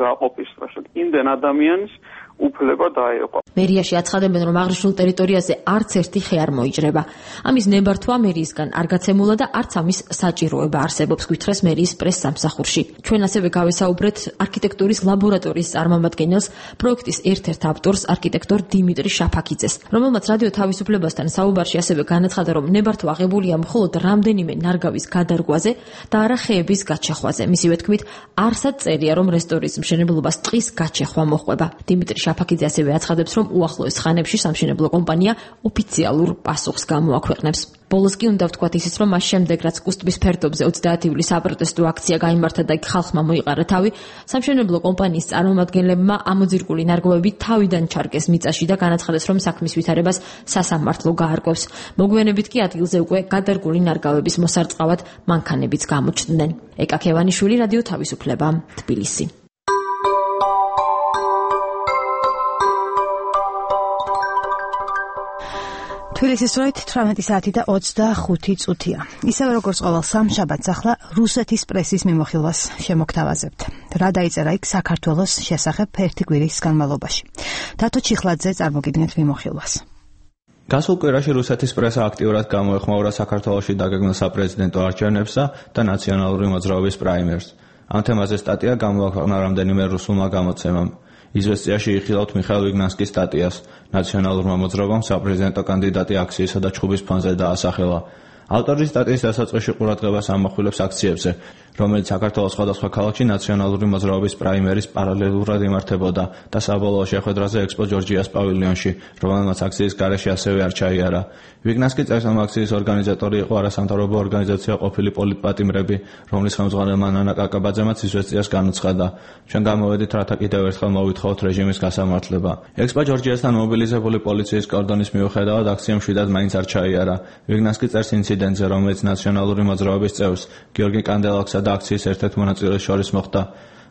გაყოფის დროში, იმდენ ადამიანის უფლება დაეყო.
მერიაში აცხადებენ, რომ აღნიშნულ ტერიტორიაზე არც ერთი ხე არ მოიჭრება. ამის ნებართვა მერიისგან არ გაცემულა და არც ამის საჭიროება არსებობს, გვითხრეს მერიის პრეს-სამსახურში. ჩვენ ასევე გავესაუბრეთ არქიტექტურის ლაბორატორიის წარმომადგენელს, პროექტის ერთ-ერთ ავტორს, არქიტექტორ დიმიტრი შაფაქიძეს, რომელმაც რადიო თავისუფლებასთან საუბარში ასევე განაცხადა, რომ ნებართვა აღებულია მხოლოდ რამდენიმე ნარგავის გადარგვაზე და არა ხეების გაჩეხვაზე. მისივე თქმით, არსად წერია, რომ რესტორნის მშენებლობას ტყის გაჩეხვა მოჰყვება. დიმიტრი შაფაქიძე ასევე აცხადებს, რომ უახლოეს ხანებში სამშენებლო კომპანია ოფიციალურ პასუხს გამოაქვეყნებს. ბოლოს კი უნდა ვთქვათ ისიც, რომ მას შემდეგ, რაც კუსტბის ფერდობზე 30 ივლისს საპროტესტო აქცია გაიმართა და ხალხმა მოიყარა თავი, სამშენებლო კომპანიის წარმომადგენლებმა ამოძირკული ნარგავები თავიდან ჩარგეს მიწაში და განაცხადეს, რომ საქმის ვითარებას სასამართლო გაარკვევს. მოგვიანებით კი ადგილზე უკვე გადარგული ნარგავების მოსარწყავად მანქანებიც გამოჩნდნენ. ეკა ქევანიშვილი, რადიო თავისუფლება, თბილისი.
თბილისის დროით 18 საათი და 25 წუთია. ისევე როგორც ყოველ სამშაბათს ახლა რუსეთის პრესის მიმოხილვას შემოგთავაზებთ. რა დაიწერა იქ საქართველოს შესახებ ერთი კვირის განმავლობაში. დათო ჩიხლაძე წარმოგიდგენთ მიმოხილვას.
გასულ კვირაში რუსეთის პრესა აქტიურად გამოეხმაურა საქართველოში დაგეგმილ საპრეზიდენტო არჩევნებსა და ნაციონალური მოძრაობის პრაიმერს. ამ თემაზე სტატია გამოაქვეყნა რამდენიმე რუსულმა გამოცემამ. იზვესტიაში იხილავთ მიხაილ ვიგნანსკის სტატიას. ნაციონალურმა მოძრაობამ საპრეზიდენტო კანდიდატი აქციისა და ჩხუბის ფონზე დაასახელა. ავტორი სტატიის დასაწყისში ყურადღებას ამახვილებს აქციებზე, რომელიც საქართველოს სხვადასხვა ქალაქში ნაციონალური მოძრაობის პრაიმერის პარალელურად იმართებოდა და საბოლოო შეხვედრაზე ექსპო ჯორჯიას პავილიონში, რომელმაც აქციის გარეშე ასევე არ ჩაიარა. ვიგნანსკი წერს, რომ აქციის ორგანიზატორი იყო არასამთავრობო ორგანიზაცია ყოფილი პოლიტპატიმრები, რომლის ხელმძღვანელმა ნანა კაკაბაძემაც იზვესტიას განუცხადა. ჩვენ გამოვედით, რათა კიდევ ერთხელ მოვითხოვოთ რეჟიმის გასამართლება. ექსპო ჯორჯიასთან მობილიზებული პოლიციის კორდონის მიუხედავად აქციამ მშვიდად მაინც არ ჩაიარა. ვიგნანსკი წერს ინციდენტზე, რომელიც ნაციონალური მოძრაობის წევრს გიორგი კანდელაკსა და აქციის ერთ-ერთ მონაწილეს შორის მოხდა.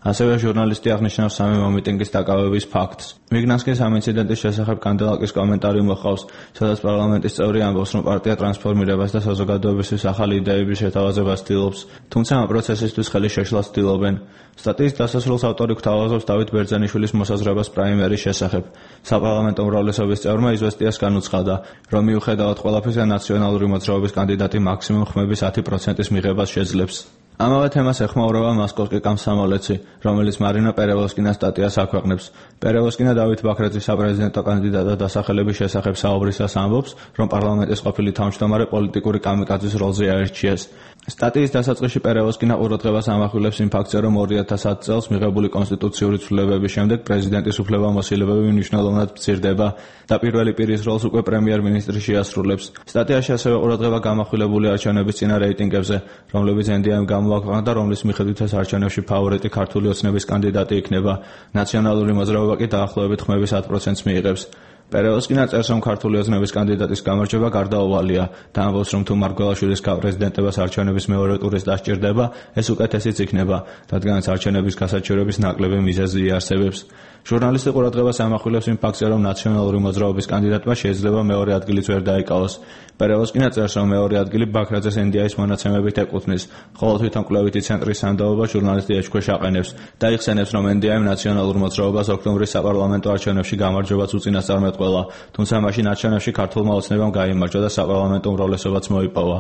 ასევე ჟურნალისტი აღნიშნავს სამი მომიტინგის დაკავების ფაქტს. ვიგნანსკის ამ ინციდენტის შესახებ კანდელაკის კომენტარი მოჰყავს, სადაც პარლამენტის წევრი ამბობს, რომ პარტია ტრანსფორმირებას და საზოგადოებისთვის ახალი იდეების შეთავაზებას ცდილობს, თუმცა ამ პროცესისთვის ხელი შეშლას ცდილობენ. სტატიის დასასრულს ავტორი გვთავაზობს დავით ბერძენიშვილის მოსაზრებას პრაიმერის შესახებ. საპარლამენტო უმრავლესობის წევრმა იზვესტიას განუცხადა, რომ მიუხედავად ყველაფრისა ნაციონალური მოძრაობის კანდიდატი მაქსიმუმ ხმების 10%-ის მიღებას შეძლებს. ამავე თემას ეხმაურება მოსკოვსკი კომსომოლეცი, რომელიც მარინა პერევოსკინას სტატიას აქვეყნებს. პერევოსკინა დავით ბაქრაძის საპრეზიდენტო კანდიდატად დასახელების შესახებ საუბრისას ამბობს, რომ პარლამენტის ყოფილი თავმჯდომარე პოლიტიკური კამიკაძის როლზე აირჩიეს. სტატიის დასაწყისში პერევოსკინა ყურადღებას ამახვილებს იმ ფაქტზე, რომ 2010 წელს მიღებული კონსტიტუციური ცვლილებების შემდეგ პრეზიდენტის უფლებამოსილებები მნიშვნელოვნად მცირდება და პირველი პირის როლს უკვე პრემიერ-მინისტრი შეასრულებს. სტატიაში ასევე ყურადღება გამახვილებული არჩევნების წინა რეიტინგებზე, რომლებიც NDM გამოაქვეყნა და რომლის მიხედვით ეს არჩევნებში ფავორიტი ქართული ოცნების კანდიდატი იქნება. ნაციონალური მოძრაობა კი დაახლოებით ხმების 10%-ს მიიღებს. პერევოსკინა წერს, რომ ქართული ოცნების კანდიდატის გამარჯვება გარდაუვალია და ამბობს, რომ თუ მარგველაშვილის პრეზიდენტებას არჩევნების მეორე ტურის დასჭირდება, ეს უკეთესიც იქნება, რადგანაც არჩევნების გასაჩივრების ნაკლები მიზეზი იარსებებს. ჟურნალისტი ყურადღებას ამახვილებს იმ ფაქტზე, რომ ნაციონალური მოძრაობის კანდიდატმა შეიძლება მეორე ადგილიც ვერ დაიკავოს. პერევოსკინა წერს, რომ მეორე ადგილი ბაქრაძეს NDI-ის მონაცემებით ეკუთვნის, ხოლო თვითონ კვლევითი ცენტრის სანდოობა ჟურნალისტი ეჭქვეშ აყენებს და იხსენებს, რომ NDI-მ ნაციონალურ მოძრაობას ოქტომბრის საპარლამენტო არჩევნებში გამარჯვებაც უწინასწარმეტყველა, თუმცა მაშინ არჩევნებში ქართულმა ოცნებამ გაიმარჯვა და საპარლამენტო უმრავლესობაც მოიპოვა.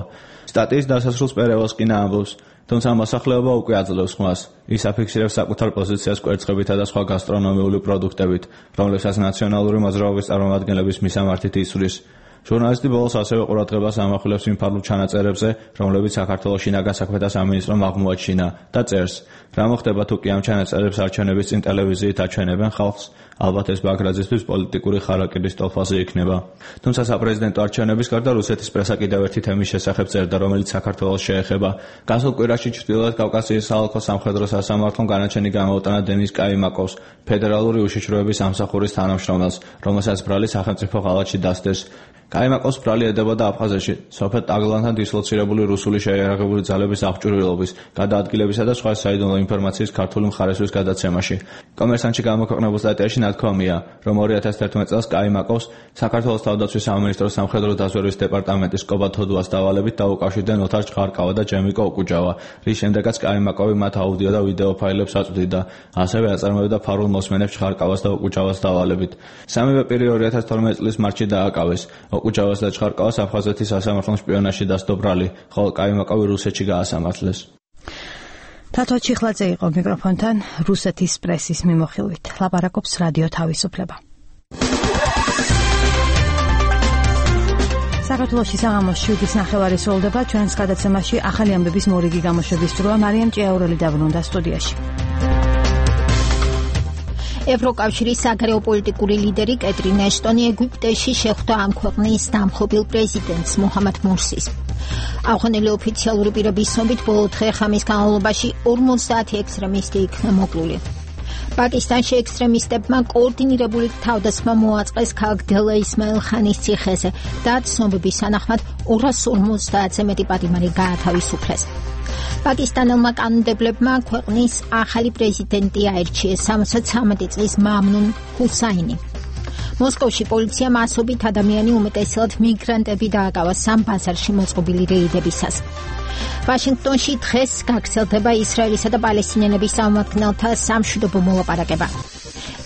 სტატიის დასასრულს პერევოსკინა ამბობს, თუმცა მოსახლეობა უკვე აძლევს ხმას. ის აფიქსირებს საკუთარ პოზიციას კვერცხებითა და სხვა გასტრონომიული პროდუქტებით, რომლებსაც ნაციონალური მოძრაობის წარმომადგენლების მისამართით ისვრის. ჟურნალისტი ბოლოს ასევე ყურადღებას ამახვილებს იმ ფარგლ ჩანაწერებზე, რომლებიც საქართველოს შინაგან საქმეთა სამინისტრომ აღმოაჩინა და წერს, რა მოხდება თუ კი ამ ჩანაწერებს არჩევნების წინ ტელევიზიით აჩვენებენ ხალხს, ალბათ ეს ბაქრაძისთვის პოლიტიკური ხარაკირის ტოლფაზე იქნება. თუმცა საპრეზიდენტო არჩევნების გარდა რუსეთის პრესა კიდევ ერთი თემის შესახებ წერდა, რომელიც საქართველოს შეეხება. გასულ კვირაში ჩრდილოეთ კავკასიის საოლქო სამხედრო სასამართლომ განაჩენი გამოუტანა დენის კაიმაკოვს, ფედერალური უშიშროების ამსახურის თანამშრომელს, რომელსაც ბრალი სახელმწიფო ღალატში დასდეს. კაიმაკოვს ბრალი ედებოდა აფხაზეთში, სოფელ ტაგლანთან დისლოცირებული რუსული შეიარაღებული ძალების აღჭურვილობის, გადაადგილებისა და სხვა საიდუმლო ინფორმაციის ქართული მხარესთვის გადაცემაში. კომერსანტში გამოქვეყნებულ სტატიაში ნათქვამია, რომ 2011 წელს კაიმაკოვს საქართველოს თავდაცვის სამინისტროს სამხედრო დაზვერვის დეპარტამენტის კობა თოდუას დავალებით დაუკავშირდნენ ოთარ ჭყარკავა და ჯემიკო ოკუჯავა, რის შემდეგაც კაიმაკოვი მათ აუდიო და ვიდეო ფაილებს აწვდიდა. ასევე აწარმოებდა ფარულ მოსმენებს ჭყარკავას და ოკუჯავას დავალებით. სამივე პირი 2012 წლის მარტში დააკავეს. ოკუჯავას და ჭყარკავას აფხაზეთის სასამართლომ შპიონაჟში დასდო ბრალი, ხოლო კაიმაკოვი რუსეთში გაასამართლეს.
თათო ჩიხლაძე იყო მიკროფონთან რუსეთის პრესის მიმოხილვით. ლაპარაკობს რადიო თავისუფლება. საქართველოში საღამოს 7:30 სრულდება. ჩვენს გადაცემაში ახალი ამბების მორიგი გამოშვების დროა. მარიამ ჭიაურელი დაბრუნდა სტუდიაში.
ევროკავშირის საგარეო პოლიტიკური ლიდერი კეტრინ ეშტონი ეგვიპტეში შეხვდა ამ ქვეყნის დამხობილ პრეზიდენტს მუჰამად მურსის. აღონილი ოფიციალური პირების ცნობით ბოლო დღე-ღამის განმავლობაში 50 ექსტრემისტი იქნა მოკლული. პაკისტანში ექსტრემისტებმა კოორდინირებული თავდასხმა მოაწყეს ქალაქ დელა ისმაილ ხანის ციხეზე და ცნობების თანახმად 250-ზე მეტი პატიმარი გაათავისუფლეს. პაკისტანელმა კანონმდებლებმა ქვეყნის ახალი პრეზიდენტი აირჩიეს 73 წლის მამნუნ ჰუსაინი. მოსკოვში პოლიციამ ასობით ადამიანი უმეტესად მიგრანტები დააკავა სამ ბაზარში მოწყობილი რეიდებისას. ვაშინგტონში დღეს გაგრძელდება ისრაელისა და პალესტინელების წარმომადგენელთა სამშვიდობო მოლაპარაკება.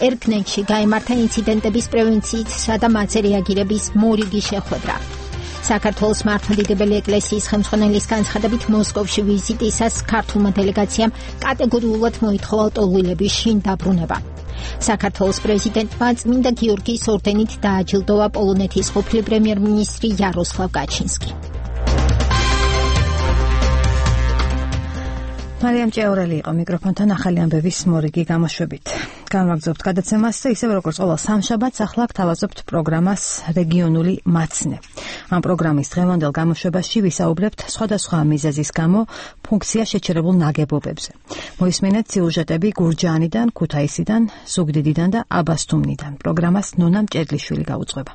ერგნენში გაიმართა ინციდენტების პრევენციისა და მათზე რეაგირების მორიგი შეხვედრა. საქართველოს მართლმადიდებელი ეკლესიის ხელმძღვანელის განცხადებით მოსკოვში ვიზიტისას ქართულმა დელეგაციამ კატეგორიულად მოითხოვა ლტოლვილების შინ დაბრუნება. საქართველოს პრეზიდენტმა წმინდა გიორგის ორდენით დააჯილდოვა პოლონეთის ყოფილი პრემიერ-მინისტრი იაროსლავ გაჩინსკი.
მარიამ ჭეორელი იყო მიკროფონთან ახალი ამბების მორიგი გამოშვებით. განვაგრძობთ გადაცემას და ისევ როგორც ყოველ სამშაბათს ახლა გთავაზობთ პროგრამას რეგიონული მაცნე. ამ პროგრამის დღევანდელ გამოშვებაში ვისაუბრებთ სხვადასხვა მიზეზის გამო ფუნქცია შეჩერებულ ნაგებობებზე. მოისმენთ სიუჟეტები გურჯაანიდან, ქუთაისიდან, ზუგდიდიდან და აბასთუმნიდან. პროგრამას ნონა მჭედლიშვილი გაუძღვება.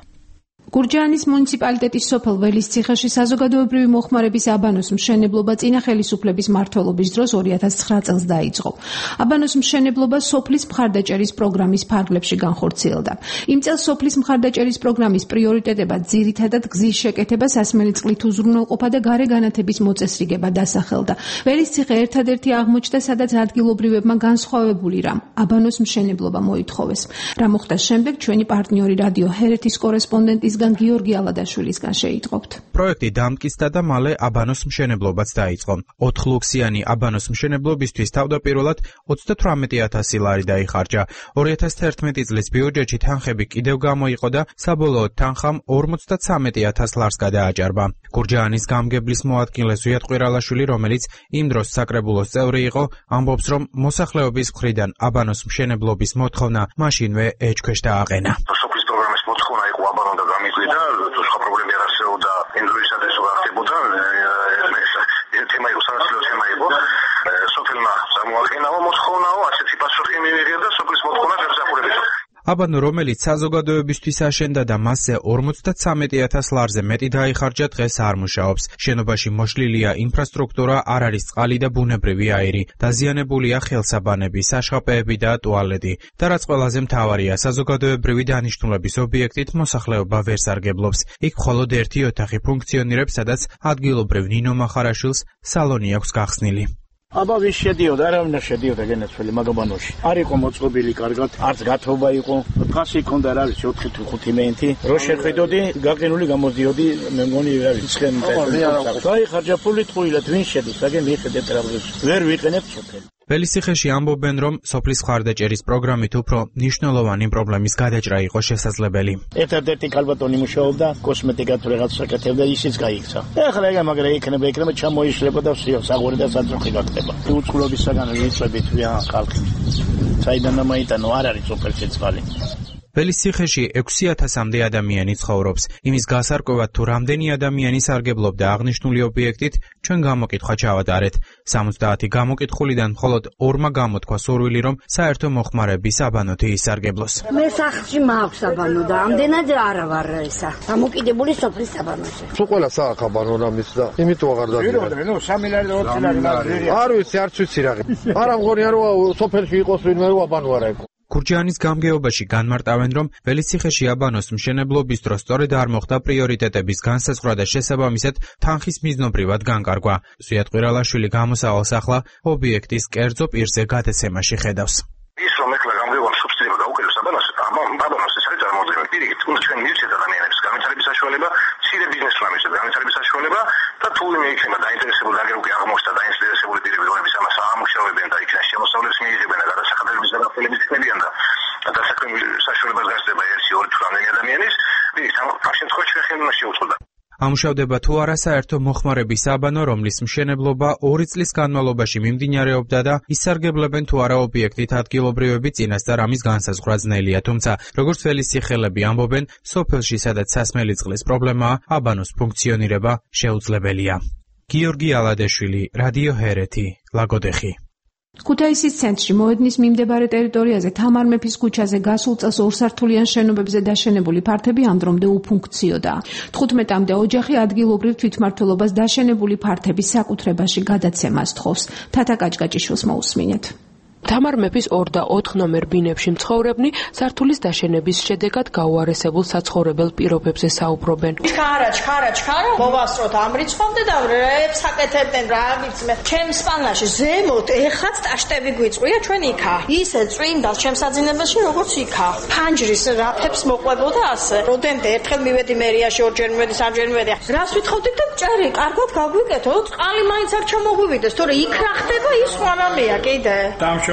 გურჯაანის მუნიციპალიტეტის სოფელ ველის ციხეში საზოგადოებრივი მოხმარების აბანოს მშენებლობა წინა ხელისუფლების მმართველობის დროს 2009 წელს დაიწყო. აბანოს მშენებლობა სოფლის მხარდაჭერის პროგრამის ფარგლებში განხორციელდა. იმ წელს სოფლის მხარდაჭერის პროგრამის პრიორიტეტებად ძირითადად გზის შეკეთება, სასმელი წყლით უზრუნველყოფა და გარე განათების მოწესრიგება დასახელდა. ველის ციხე ერთადერთი აღმოჩნდა, სადაც ადგილობრივებმა განსხვავებული რამ აბანოს მშენებლობა მოითხოვეს. რა მოხდა შემდეგ, ჩვენი პარტნიორი რადიო ჰერეთის კორესპონდენტის გიორგი ალადაშვილისგან შეიტყობთ.
პროექტი დამტკიცდა და მალე აბანოს მშენებლობაც დაიწყო. 4 ლუქსიანი აბანოს მშენებლობისთვის თავდაპირველად 38,000 ლარი დაიხარჯა. 2011 წლის ბიუჯეტში თანხები კიდევ გამოიყო და საბოლოოდ თანხამ 53,000 ლარს გადააჭარბა. გურჯაანის გამგებლის მოადგილე ზვიად ყვირალაშვილი, რომელიც იმ დროს საკრებულოს წევრი იყო, ამბობს, რომ მოსახლეობის მხრიდან აბანოს მშენებლობის მოთხოვნა მაშინვე ეჭქვეშ დააყენა. აბანო, რომელიც საზოგადოებისთვის აშენდა და მასზე 53,000 ლარზე მეტი დაიხარჯა, დღეს არ მუშაობს. შენობაში მოშლილია ინფრასტრუქტურა, არ არის წყალი და ბუნებრივი აირი. დაზიანებულია ხელსაბანები, საშხაპეები და ტუალეტი. და რაც ყველაზე მთავარია, საზოგადოებრივი დანიშნულების ობიექტით მოსახლეობა ვერ სარგებლობს. იქ მხოლოდ ერთი ოთახი ფუნქციონირებს, სადაც ადგილობრივ ნინო მახარაშვილს სალონი აქვს გახსნილი.
აბა ვის შედიოდა, არავინ არ შედიოდა გენაცვლილი მაგაბანოში. არ იყო მოწყობილი კარგად, არც გათობა იყო. ფასი ჰქონდა, რა ვიცი, 4-5 მეინტი. რო შეხედოდი, გაყინული გამოდიოდი, მე მგონი რა ვიცი, ცხენი ტელეფონი. დაიხარჯა ფული ტყუილად, ვინ შედის, აგე მიხედეთ რა ვიცი. ვერ ვიყენებ სოფელი.
ველისციხეში ამბობენ, რომ სოფლის მხარდაჭერის პროგრამით უფრო მნიშვნელოვანი პრობლემის გადაჭრა იყო შესაძლებელი.
ერთადერთი ქალბატონი მუშაობდა, კოსმეტიკად რაღაც საკეთებდა, ისიც გაიქცა. ეხლა ეგ მაგრამ იქნება ჩამოიშლება და ვსიო, საღვარი და საძროხი გაკეთება. უწყლობისაგან ვიწებით ვიან ხალხი. საიდან ამაიტანო არ არის სოფელ სიცხალი.
ველისციხეში 6,000-მდე ადამიანი ცხოვრობს. იმის გასარკვევად თუ რამდენი ადამიანი სარგებლობდა აღნიშნული ობიექტით, ჩვენ გამოკითხვა ჩავატარეთ. 70 გამოკითხულიდან მხოლოდ 2-მა გამოთქვა სურვილი, რომ საერთო მოხმარების აბანოთი ისარგებლოს.
მე სახლში მაქვს აბანო და ამდენად არა ვარ ესა. გამოკიდებული სოფლის აბანოში.
თუ ყველა საახ აბანო რამის და იმიტომ აღარ დაგიწყდა.
ნუ 3 ლარი და 4 ლარი.
არ ვიცი, არც ვიცი რა. არა მგონია რომ სოფელში იყოს ვინმე რომ აბანო არა იყო.
გურჯაანის გამგეობაში განმარტავენ, რომ ველისციხეში აბანოს მშენებლობის დროს სწორედ არ მოხდა პრიორიტეტების განსაზღვრა და შესაბამისად თანხის მიზნობრივად განკარგვა. ზვიად ყვირალაშვილი გამოსავალს ახლა ობიექტის კერძო პირზე გადაცემაში ხედავს.
ის რომ ეხლა გამგეობა სუბსიდირება დაუკეთებს აბანოს ეს არის წარმოუდგენელი. პირიქით, ჩვენ მივცეთ ადამიანებს განვითარების საშუალება, მცირე ბიზნესმა მივცეთ განვითარების საშუალება და თუ ვინმე იქნება დაინტერესებული, აგერ უკვე აღმოჩნდა დაინტერესებული პირები, რომლებიც ამას აამუშავებენ და იქიდან შემოსავლებს მიიღებენ და გადასახადებების გადახდელების ხდებიან და დასაქმების საშუალებას გასცდება 1-2 თუ რამდენი ადამიანის, ამ შემთხვევაში ჩვენ ხელმოშეუწყდა.
ამუშავდება თუ არა საერთო მოხმარების საბანო, რომლის მშენებლობა 2 წლის განმავლობაში მიმდინარეობდა და ისარგებლებენ თუ არა ობიექტით ადგილობრივები წინასწარ ამის განსაზღვრა ძნელია, თუმცა როგორც ველის სახელები ამბობენ, სოფელში სადაც სასმელი წყლის პრობლემაა, აბანოს ფუნქციონირება შეუძლებელია. გიორგი ალადეშვილი, რადიო ჰერეთი, ლაგოდეხი.
ქუთაისის ცენტრში მოედნის მიმდებარე ტერიტორიაზე თამარ მეფის ქუჩაზე გასულ წელს ორსართულიან შენობებზე დაშენებული ფართები ამ დრომდე უფუნქციოდაა. 15-მდე ოჯახი ადგილობრივ თვითმმართველობას დაშენებული ფართების საკუთრებაში გადაცემას თხოვს. თათა კაჭკაჭიშვილს მოусმინეთ.
თამარ მეფის 2 და 4 ნომერ ბინებში მცხოვრებნი სართულის დაშენების შედეგად გაუარესებულ საცხოვრებელ პირობებზე საუბრობენ.
ჩქარა, მოვასწროთ ამ რიცხვამდე და რებს აკეთებდნენ რა ვიცი მე. ჩემს პანაში ზემოთ ეხაც ტაშტები გვიწყვია ჩვენ იქა. ისე წვიმდა ჩემს აძინებელში როგორც იქა. ფანჯრის რაფებს მოყვებოდა ასე. როდემდე ერთხელ მივედი მერიაში, ორჯერ მივედი, სამჯერ მივედი. რას ვითხოვდით და ჭერი, კარგად გაგვიკეთო, წყალი მაინც არ ჩამოგვივიდეს, თორე იქ რა ხდება ის ხوارამია კიდე.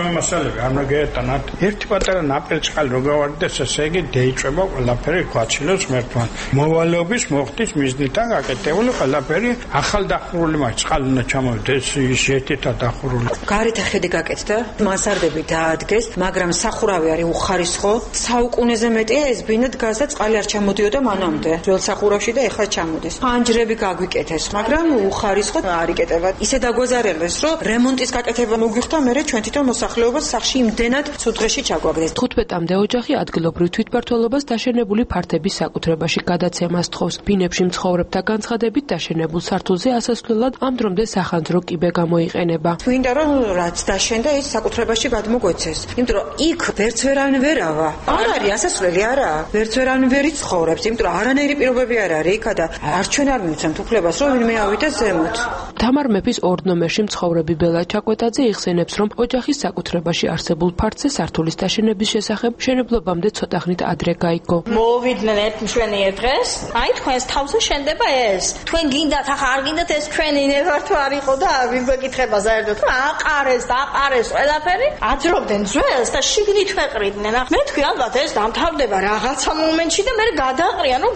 მასალები არ მოგეეტანათ. ერთი პატარა ნაპირ წყალი რო გავარდეს, ესე იგი დაიწება ყველაფერი ქვაჩილოს მერტვან. მოვალეობის მოხდის მიზნიდან გაკეთებული ყველაფერი ახალ დახურული მაქვს. წყალი უნდა ჩამოვიდეს ის ერთად დახურული.
გარეთ ხედი გაკეთდა, მასარდები დაადგეს, მაგრამ სახურავი არის უხარისხო. საუკუნეზე მეტია ეს ბინა დგას და წყალი არ ჩამოდიოდა მანამდე. ძველ სახურავში და ეხლა ჩამოდის. ფანჯრები გაგვიკეთეს, მაგრამ უხარისხო არ იკეთება. ისე დაგვაზარელეს, რომ რემონტის გაკეთება მოგვიხდა, მერე ჩვენ თვითონ მოსახლეობას სახში იმდენად ცუდღეში ჩაგვაგდეს.
15-მდე ოჯახი ადგილობრივ თვითმმართველობას დაშენებული ფართების საკუთრებაში გადაცემას თხოვს. ბინებში მცხოვრებთა განცხადებით დაშენებულ სართულზე ასასვლელად ამ დრომდე სახანძრო კიბე გამოიყენება.
twinda რომ რაც დაშენდა ის საკუთრებაში გადმოგვეცეს. იმიტომ რომ იქ ვერც ვერან ვერავა. არ არის ასასვლელი არა. ვერც ვერან ვერი ცხოვრობს, იმიტომ რომ არანაირი პირობები არ არის იქა და არ ჩვენ არ მივცემთ უფლებას რომ ვინმე ავიდეს ზემოთ.
თამარ მეფის 2 ნომერში მცხოვრები ბელა ჩაკვეტაძე იხსენებს, რომ ოჯახის საკუთრებაში არსებულ ფართზე სართულის დაშენების შესახებ მშენებლობამდე ცოტა ხნით ადრე გაიგო.
მოვიდნენ ერთ მშვენიერ დღეს, აი თქვენს თავზე შენდება ეს. თქვენ გინდათ, ახლა არ გინდათ ეს ჩვენი ნებარ თუ არ იყო და ვინ გვეკითხება საერთოდ, რომ აყარეს ყველაფერი, აძრობდნენ ძველს და შიგნით ვეყრიდნენ. მე თქვი ალბათ ეს დამთავრდება რაღაცა მომენტში და მე გადაყრიან, რომ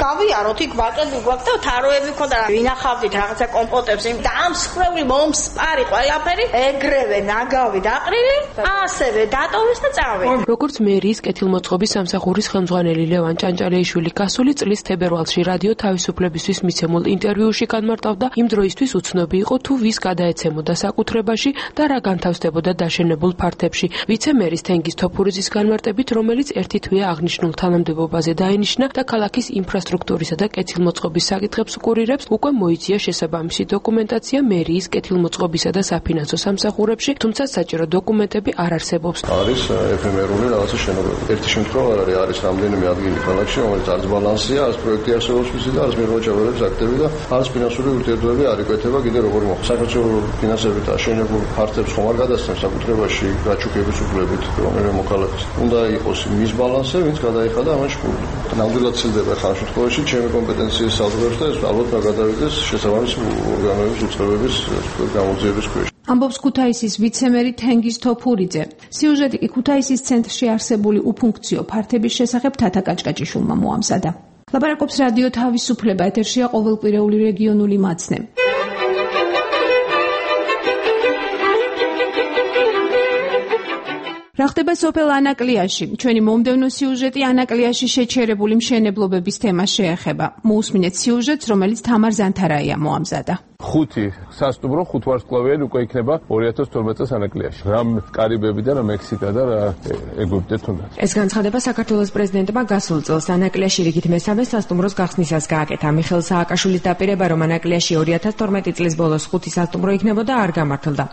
გავიაროთ იქ ვაკედი გვაქვს და თაროები მქონდა, ვინახავდით რაღაცა კომპოტებს, დამსხვრევი მომსპარი ყველაფერი, ეგრევე ნაგავი დაყრილი, ასევე დატოვეს და წავიდა.
როგორც მერიის კეთილმოწყობის სამსახურის ხელმძღვანელი ლევან ჭანჭარეიშვილი გასული წლის თებერვალში რადიო თავისუფლებისთვის მიცემულ ინტერვიუში განმარტავდა, იმ დროისთვის უცნობი იყო თუ ვის გადაეცემოდა საკუთრებაში და რა განთავსდებოდა დაშენებულ ფართებში. ვიცე-მერის თენგიზ თოფურიძის განმარტებით, რომელიც ერთი თვეა აღნიშნულ თანამდებობაზე დაენიშნა და ქალაქის ინფრასტრუქტურისა და კეთილმოწყობის საკითხებს უკურირებს, უკვე მოიწია შესაბამისი დოკუმენტაცია მერიის კეთილმოწყობისა და საფინანსო სამსახურებში, თუმცა საჭირო დოკუმენტები არ არსებობს.
არის ეფემერული რაღაცა შენობები. ერთი შემთხვევა არის რამდენიმე ადგილი ქალაქში, რომელიც არც ბალანსია, არც პროექტი არსებობს მისი და არც მიღწევების აქტები და არც ფინანსური ურთიერთობები არ იკვეთება კიდე როგორი მოხდა. საქართველოს ფინანსებით აშენებულ ფართებს ხომ არ გადასცემს საკუთრებაში გაჩუქების უფლებით რომელიმე მოქალაქეს. უნდა იყოს მის ბალანსზე, ვინც გადაიხადა ამან შფული. ნამდვილად ცილდება ხან შემთხვევაში ჩემი კომპეტენციის საზღვრებს და ეს ალბათ გადავიდეს შესაბამისი ორგანოების უწყებების გამოძიების ქვეშ.
ამბობს ქუთაისის ვიცე-მერი თენგიზ თოფურიძე. სიუჟეტი კი ქუთაისის ცენტრში არსებული უფუნქციო ფართების შესახებ თათა კაჭკაჭიშვილმა მოამზადა. ლაპარაკობს რადიო თავისუფლება, ეთერშია ყოველკვირეული რეგიონული მაცნე. რა ხდება სოფელ ანაკლიაში? ჩვენი მომდევნო სიუჟეტი ანაკლიაში შეჩერებული მშენებლობების თემას შეეხება. მოусმინეთ სიუჟეტს, რომელიც თამარ ზანთარაია მოამზადა.
5 სასტუმრო 5 ვარსკვლავიანი უკვე იქნება 2012 წელს ანაკლიაში. რა კარიბები და რა მექსიკა და რა ეგვიპტე თუნდაც.
ეს განცხადება საქართველოს პრეზიდენტმა გასულ წელს ანაკლიაში რიგით მესამე სასტუმროს გახსნისას გააკეთა. მიხეილ სააკაშვილის დაპირება, რომ ანაკლიაში 2012 წლის ბოლოს 5 სასტუმრო იქნებოდა, არ გამართლდა.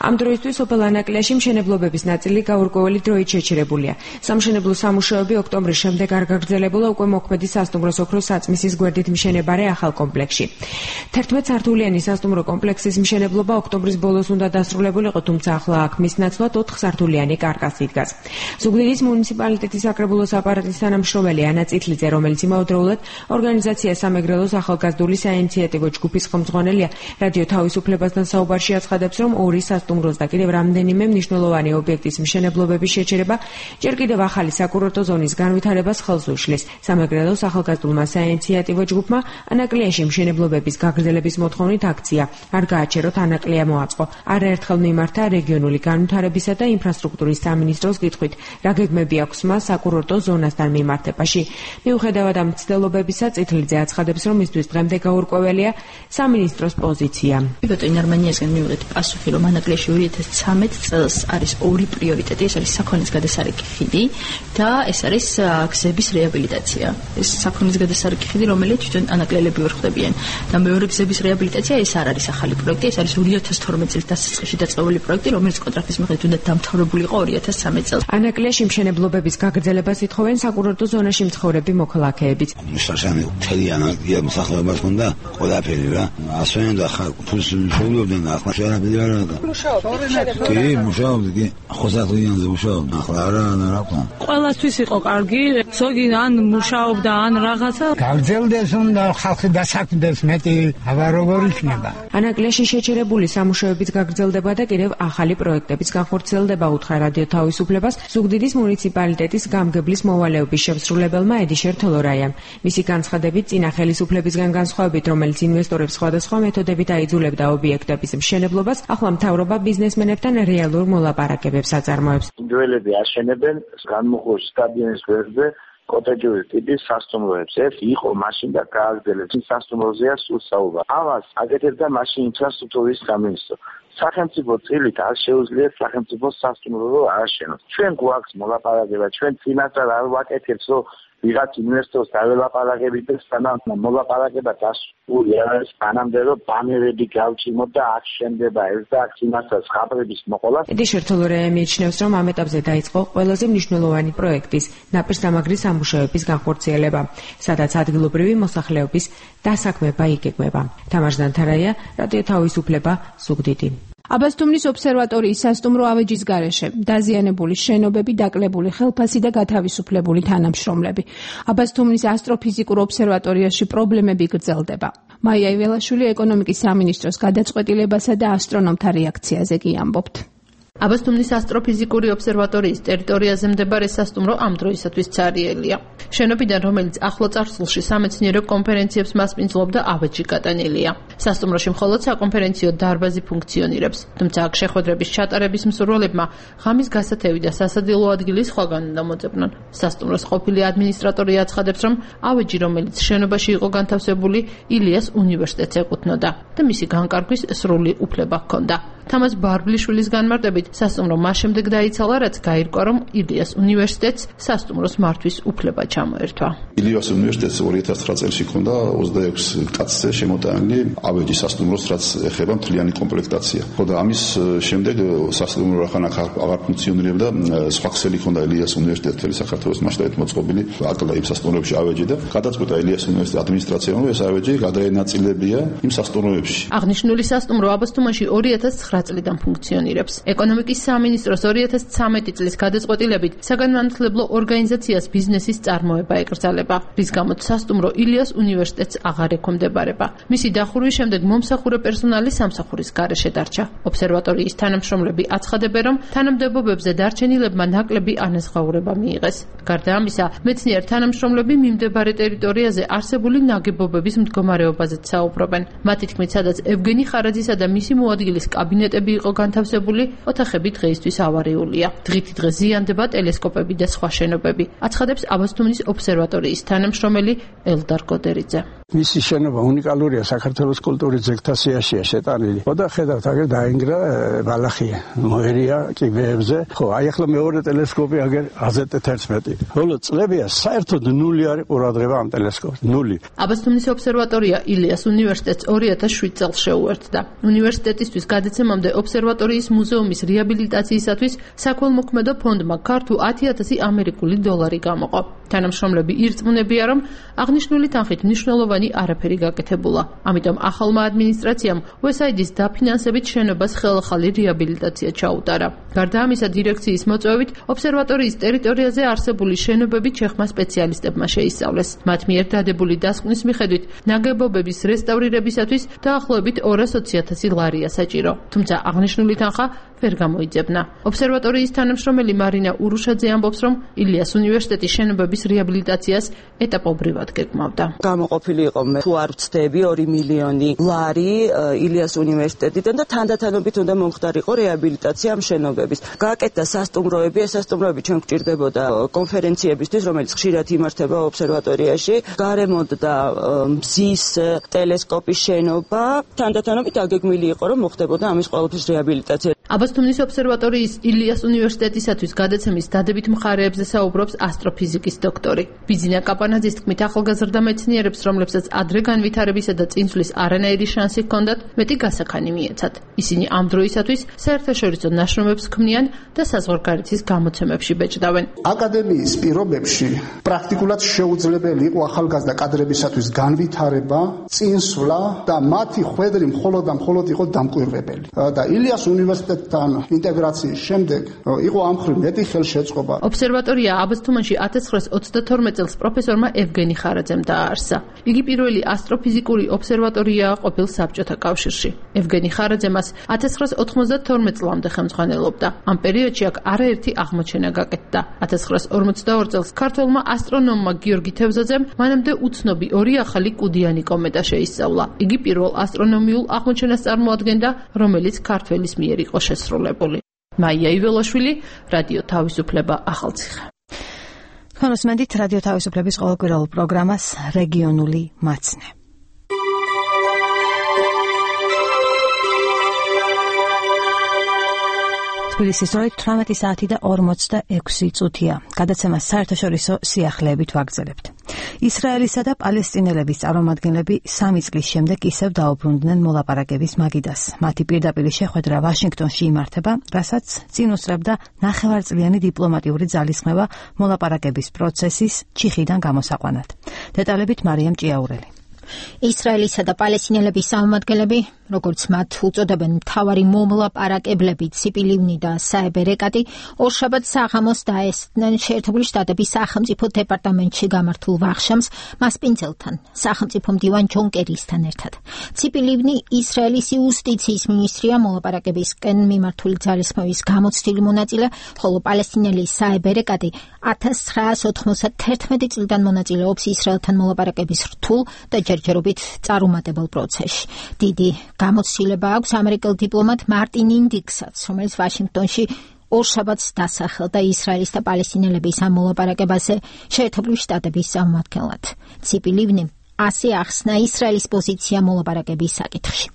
ამ დროისთვის სოფელ ანაკლიაში მშენებლობების ნაწილი გაურკვეველი დროით შეჩერებულია. სამშენებლო სამუშაოები ოქტომბრის შემდეგ არ გაგრძელებულა უკვე მოქმედი სასტუმროს ოქროს საწმისის გვერდით მშენებარე ახალ კომპლექსში. 11 სართულიანი თითქმის სასტუმრო კომპლექსის მშენებლობა ოქტომბრის ბოლოს უნდა დასრულებულიყო, თუმცა ახლა აქ მის ნაცვლად 4 სართულიანი კარკასი დგას. ზუგდიდის მუნიციპალიტეტის საკრებულოს აპარატის თანამშრომელი ანა წითლიძე, რომელიც იმავდროულად ორგანიზაცია სამეგრელოს ახალგაზრდული საინიციატივო ჯგუფის ხელმძღვანელია, რადიო თავისუფლებასთან საუბარში აცხადებს, რომ 2 სასტუმროს და კიდევ რამდენიმე მნიშვნელოვანი ობიექტის მშენებლობების შეჩერება ჯერ კიდევ ახალი საკურორტო ზონის განვითარებას ხელს უშლის. სამეგრელოს ახალგაზრდულმა საინიციატივო ჯგუფმა ანაკლიაში მშენებლობების გაგრძელების მოთხოვნით აქცია არ გააჩეროთ ანაკლია მოაწყო. არაერთხელ მიმართა რეგიონული განვითარებისა და ინფრასტრუქტურის სამინისტროს კითხვით, რა გეგმები აქვს მას საკურორტო ზონასთან მიმართებაში. მიუხედავად ამ მცდელობებისა, წითლიძე აცხადებს, რომ მისთვის დღემდე გაურკვეველია სამინისტროს პოზიცია.
ბატონ არმანიასგან მივიღეთ პასუხი, რომ ანაკლიაში 2013 წელს არის 2 პრიორიტეტი, ეს არის საქონლის გადასარეკი ხიდი და ეს არის გზების რეაბილიტაცია. ეს საქონლის გადასარეკი ხიდი, რომელიც თვითონ ანაკლელები ვერ ხდებიან და მეორე გზების რეაბილიტაცია ეს არ არის ახალი პროექტი, ეს არის 2012 წლის დასაწყისში დაწყებული პროექტი, რომელიც კონტრაქტის მიხედვით უნდა დამთავრებული იყო 2013 წელს.
ანაკლიაში მშენებლობების გაგრძელებას ითხოვენ საკურორტო ზონაში მცხოვრები მოქალაქეებიც.
მუშასანი მთელი ანაკლია მსახურებას უნდა ყველაფერი რა. ასვენ და ფულს შეულობდნენ ახლა შეარაბილი არა. კი, მუშაობდი, ხოსათლიანზე მუშაობდი. ახლა არა რა.
ყველასთვის იყო კარგი, ზოგი ან მუშაობდა, ან რაღაცა.
გაგრძელდეს უნდა ხალხი დასაქმდეს მეტი, აბა როგორ იქნება.
ანაკლიაში შეჩერებული სამუშაოების გაგრძელდება და კიდევ ახალი პროექტების განხორციელდება, უთხრა რადიო თავისუფლებას ზუგდიდის მუნიციპალიტეტის გამგებლის მოვალეობის შემსრულებელმა ედიშერ თოლორაიამ. მისი განცხადებით, წინა ხელისუფლებისგან განსხვავებით, რომელიც ინვესტორებს სხვადასხვა მეთოდებით აიძულებდა ობიექტების მშენებლობას, ახლა მთავრობა ბიზნესმენებთან რეალურ მოლაპარაკებებს აწარმოებს.
ინდივიდუალები აშენებენ განმუხლოს სტადიონის გვერდზე კოტეჯური ტიპის სასტუმროებს. ეს იყო მაშინ და გააგრძელეს. ის სასტუმროზეა სულ საუბარი. ამას აკეთებდა მაშინ ინფრასტრუქტურის სამინისტრო. სახელმწიფო წილით არ შეუძლია სახელმწიფო სასტუმრო ააშენოს. ჩვენ გვაქვს მოლაპარაკება, ჩვენ წინასწარ არ ვაკეთებთ, რომ ვიღაც ინვესტორს დაველაპარაკებით და სანამ მოლაპარაკება დასრულებული არის, ანამდე რომ ბანერები გავჭიმოთ და აქ შენდება ეს და აქ წინასწარ ხაბრების მოყოლა.
ედიშერ თოლორაია მიიჩნევს, რომ ამ ეტაპზე დაიწყო ყველაზე მნიშვნელოვანი პროექტის ნაპირსამაგრის სამუშაოების განხორციელება, სადაც ადგილობრივი მოსახლეობის დასაქმება იგეგმება. თამარ ზანთარაია, რადიო თავისუფლება, ზუგდიდი.
აბასთუმნის ობსერვატორიის სასტუმრო ავეჯის გარეშე დაზიანებული შენობები, დაკლებული ხელფასი და გათავისუფლებული თანამშრომლები. აბასთუმნის ასტროფიზიკურ ობსერვატორიაში პრობლემები გრძელდება. მაია იველაშვილი ეკონომიკის სამინისტროს გადაწყვეტილებასა და ასტრონომთა რეაქციაზე კი ამბობთ.
აბასთუმნის ასტროფიზიკური ობსერვატორიის ტერიტორიაზე მდებარე სასტუმრო ამ დროისათვის ცარიელია. შენობიდან, რომელიც ახლო წარსულში სამეცნიერო კონფერენციებს მასპინძლობდა, ავეჯი გატანილია. სასტუმროში მხოლოდ საკონფერენციო დარბაზი ფუნქციონირებს, თუმცა აქ შეხვედრების ჩატარების მსურველებმა ღამის გასათევი და სასადილო ადგილი სხვაგან უნდა მოძებნონ. სასტუმროს ყოფილი ადმინისტრატორი აცხადებს, რომ ავეჯი, რომელიც შენობაში იყო განთავსებული, ილიას უნივერსიტეტს ეკუთვნოდა და მისი განკარგვის სრული უფლება ჰქონდა. თამაზ ბარბლიშვილის განმარტებით, სასტუმრო მას შემდეგ დაიცალა, რაც გაირკვა, რომ ილიას უნივერსიტეტს სასტუმროს მართვის უფლება ჩამოერთვა.
ილიას უნივერსიტეტს 2009 წელს ჰქონდა 26 კაცზე შემოტანილი ავეჯი სასტუმროს, რაც ეხება მთლიანი კომპლექტაცია. ხოდა ამის შემდეგ სასტუმრო რახან აღარ ფუნქციონირებდა, სხვა ქსელი ჰქონდა ილიას უნივერსიტეტს მთელი საქართველოს მასშტაბით მოწყობილი, აკლდა იმ სასტუმროებში ავეჯი და გადაწყვიტა ილიას უნივერსიტეტის ადმინისტრაციამ, რომ ეს ავეჯი გადაენაწილებია იმ სასტუმროებში.
აღნიშნული სასტუმრო აბასთუმანში 2009 წლიდან ფუნქციონირებს. ეკონომიკის სამინისტროს 2013 წლის გადაწყვეტილებით საგანმანათლებლო ორგანიზაციას ბიზნესის წარმოება ეკრძალება, რის გამოც სასტუმრო ილიას უნივერსიტეტს აღარ ექვემდებარება. მისი დახურვის შემდეგ მომსახურე პერსონალი სამსახურის გარეშე დარჩა. ობსერვატორიის თანამშრომლები აცხადებენ, რომ თანამდებობებზე დარჩენილებმა ნაკლები ანაზღაურება მიიღეს. გარდა ამისა, მეცნიერ თანამშრომლები მიმდებარე ტერიტორიაზე არსებული ნაგებობების მდგომარეობაზეც საუბრობენ. მათი თქმით, სადაც ევგენი ხარაძისა და მისი მოადგილის კაბინეტები იყო განთავსებული, ოთახები დღეისთვის ავარიულია. დღითი დღე ზიანდება ტელესკოპები და სხვა შენობები. აცხადებს აბასთუმნის ობსერვატორიის თანამშრომელი ელდარ გოდერიძე.
მისი შენობა უნიკალურია საქართველოს კულტურის ძეგლთა სიაშია შეტანილი. ხოდა ხედავთ, აგერ დაინგრა ბალახია, მოერია კიბეებზე. ხო, აი ახლა მეორე ტელესკოპი აგერ AZ11. ხოლო წლებია საერთოდ ნული არის ყურადღება ამ ტელესკოპს, ნული.
აბასთუმნის ობსერვატორია ილიას უნივერსიტეტს 2007 წელს შეუერთდა. უნივერსიტეტისთვის გადაცემა დასაწყისამდე ობსერვატორიის მუზეუმის რეაბილიტაციისათვის საქველმოქმედო ფონდმა ქართულ 10,000 ამერიკული დოლარი გამოყო. თანამშრომლები ირწმუნებიან, რომ აღნიშნული თანხით მნიშვნელოვანი არაფერი გაკეთებულა. ამიტომ ახალმა ადმინისტრაციამ USAID-ის დაფინანსებით შენობას ხელახალი რეაბილიტაცია ჩაუტარა. გარდა ამისა, დირექციის მოწვევით ობსერვატორიის ტერიტორიაზე არსებული შენობები ჩეხმა სპეციალისტებმა შეისწავლეს. მათ მიერ დადებული დასკვნის მიხედვით ნაგებობების რესტავრირებისათვის დაახლოებით 220,000 ლარია საჭირო. თუმცა აღნიშნული თანხა ვერ გამოიძებნა. ობსერვატორიის თანამშრომელი მარინა ურუშაძე ამბობს, რომ ილიას უნივერსიტეტის შენობების რეაბილიტაციას ეტაპობრივად გეკმავდა.
გამოყოფილი იყო მე თუ არ ვცდები 2 მილიონი ლარი ილიას უნივერსიტეტიდან და თანდათანობით უნდა მომხდარიყო რეაბილიტაცია ამ შენობების. გააკეთა სასტუმროები, ეს სასტუმროები ჩვენ გვჭირდებოდა კონფერენციებისთვის, რომელიც ხშირად იმართება ობსერვატორიაში. გარემონტდა მზის ტელესკოპის შენობა, თანდათანობით აგეგმილი იყო, რომ მოხდებოდა ამის ყველაფრის რეაბილიტაცია.
აბასთუმნის ობსერვატორიის ილიას უნივერსიტეტისათვის გადაცემის დადებით მხარეებზე საუბრობს ასტროფიზიკის დოქტორი. ბიზინა კაპანაძის თქმით, ახალგაზრდა მეცნიერებს, რომლებსაც ადრე განვითარებისა და წინსვლის არანაირი შანსი ჰქონდათ, მეტი გასაქანი მიეცათ. ისინი ამ დროისათვის საერთაშორისო ნაშრომებს ქმნიან და საზღვარგარეთის გამოცემებში ბეჭდავენ.
აკადემიის პირობებში პრაქტიკულად შეუძლებელი იყო ახალგაზრდა კადრებისათვის განვითარება, წინსვლა და მათი ხვედრი მხოლოდ იყო დამკვირვებელი. და ილიას უნივერსიტეტთან ინტეგრაციის შემდეგ იყო ამ მხრივ მეტი ხელშეწყობა.
ობსერვატორია აბასთუმანში 1932 წელს პროფესორმა ევგენი ხარაძემ დააარსა. იგი პირველი ასტროფიზიკური ობსერვატორიაა ყოფილ საბჭოთა კავშირში. ევგენი ხარაძე მას 1992 წლამდე ხელმძღვანელობდა. ამ პერიოდში აქ არაერთი აღმოჩენა გაკეთდა. 1942 წელს ქართველმა ასტრონომმა გიორგი თევზაძემ მანამდე უცნობი 2 ახალი კუდიანი კომეტა შეისწავლა. იგი პირველ ასტრონომიულ აღმოჩენას წარმოადგენდა, რომელიც ქართველის მიერ იყო შესრულებული. მაია იველაშვილი, რადიო თავისუფლება, ახალციხე.
ხონოსმენდით რადიო თავისუფლების ყოველკვირეულ პროგრამას რეგიონული მაცნე. თბილისის დროით 18 საათი და 46 წუთია. გადაცემას საერთაშორისო სიახლეებით ვაგრძელებთ. ისრაელისა და პალესტინელების წარმომადგენლები 3 წლის შემდეგ ისევ დაუბრუნდნენ მოლაპარაკების მაგიდას. მათი პირდაპირი შეხვედრა ვაშინგტონში იმართება, რასაც წინ უსწრებდა ნახევარწლიანი დიპლომატიური ძალისხმევა მოლაპარაკების პროცესის ჩიხიდან გამოსაყვანად. დეტალებით მარიამ ჭიაურელი.
ისრაელისა და პალესტინელების წარმომადგენლები, როგორც მათ უწოდებენ, მთავარი მომლაპარაკებლები ციპი ლივნი და საებ ერეკატი ორშაბათს საღამოს დაესწრნენ შეერთებული შტატების სახელმწიფო დეპარტამენტში გამართულ ვახშამს მასპინძელთან, სახელმწიფო მდივან ჯონ კერისთან ერთად. ციპი ლივნი ისრაელის იუსტიციის მინისტრია მოლაპარაკებისკენ მიმართული ძალისხმევის გამოცდილი მონაწილე, ხოლო პალესტინელი საებ ერეკატი 1991 წლიდან მონაწილეობს ისრაელთან მოლაპარაკების რთულ და ჯერჯერობით წარუმატებელ პროცესში. დიდი გამოცდილება აქვს ამერიკელ დიპლომატ მარტინ ინდიქსაც, რომელიც ვაშინგტონში ორშაბათს დასახელდა ისრაელის და პალესტინელების ამ მოლაპარაკებაზე შეერთებული შტატების წარმომადგენლად. ციპი ლივნიმ ასე ახსნა ისრაელის პოზიცია მოლაპარაკების საკითხში.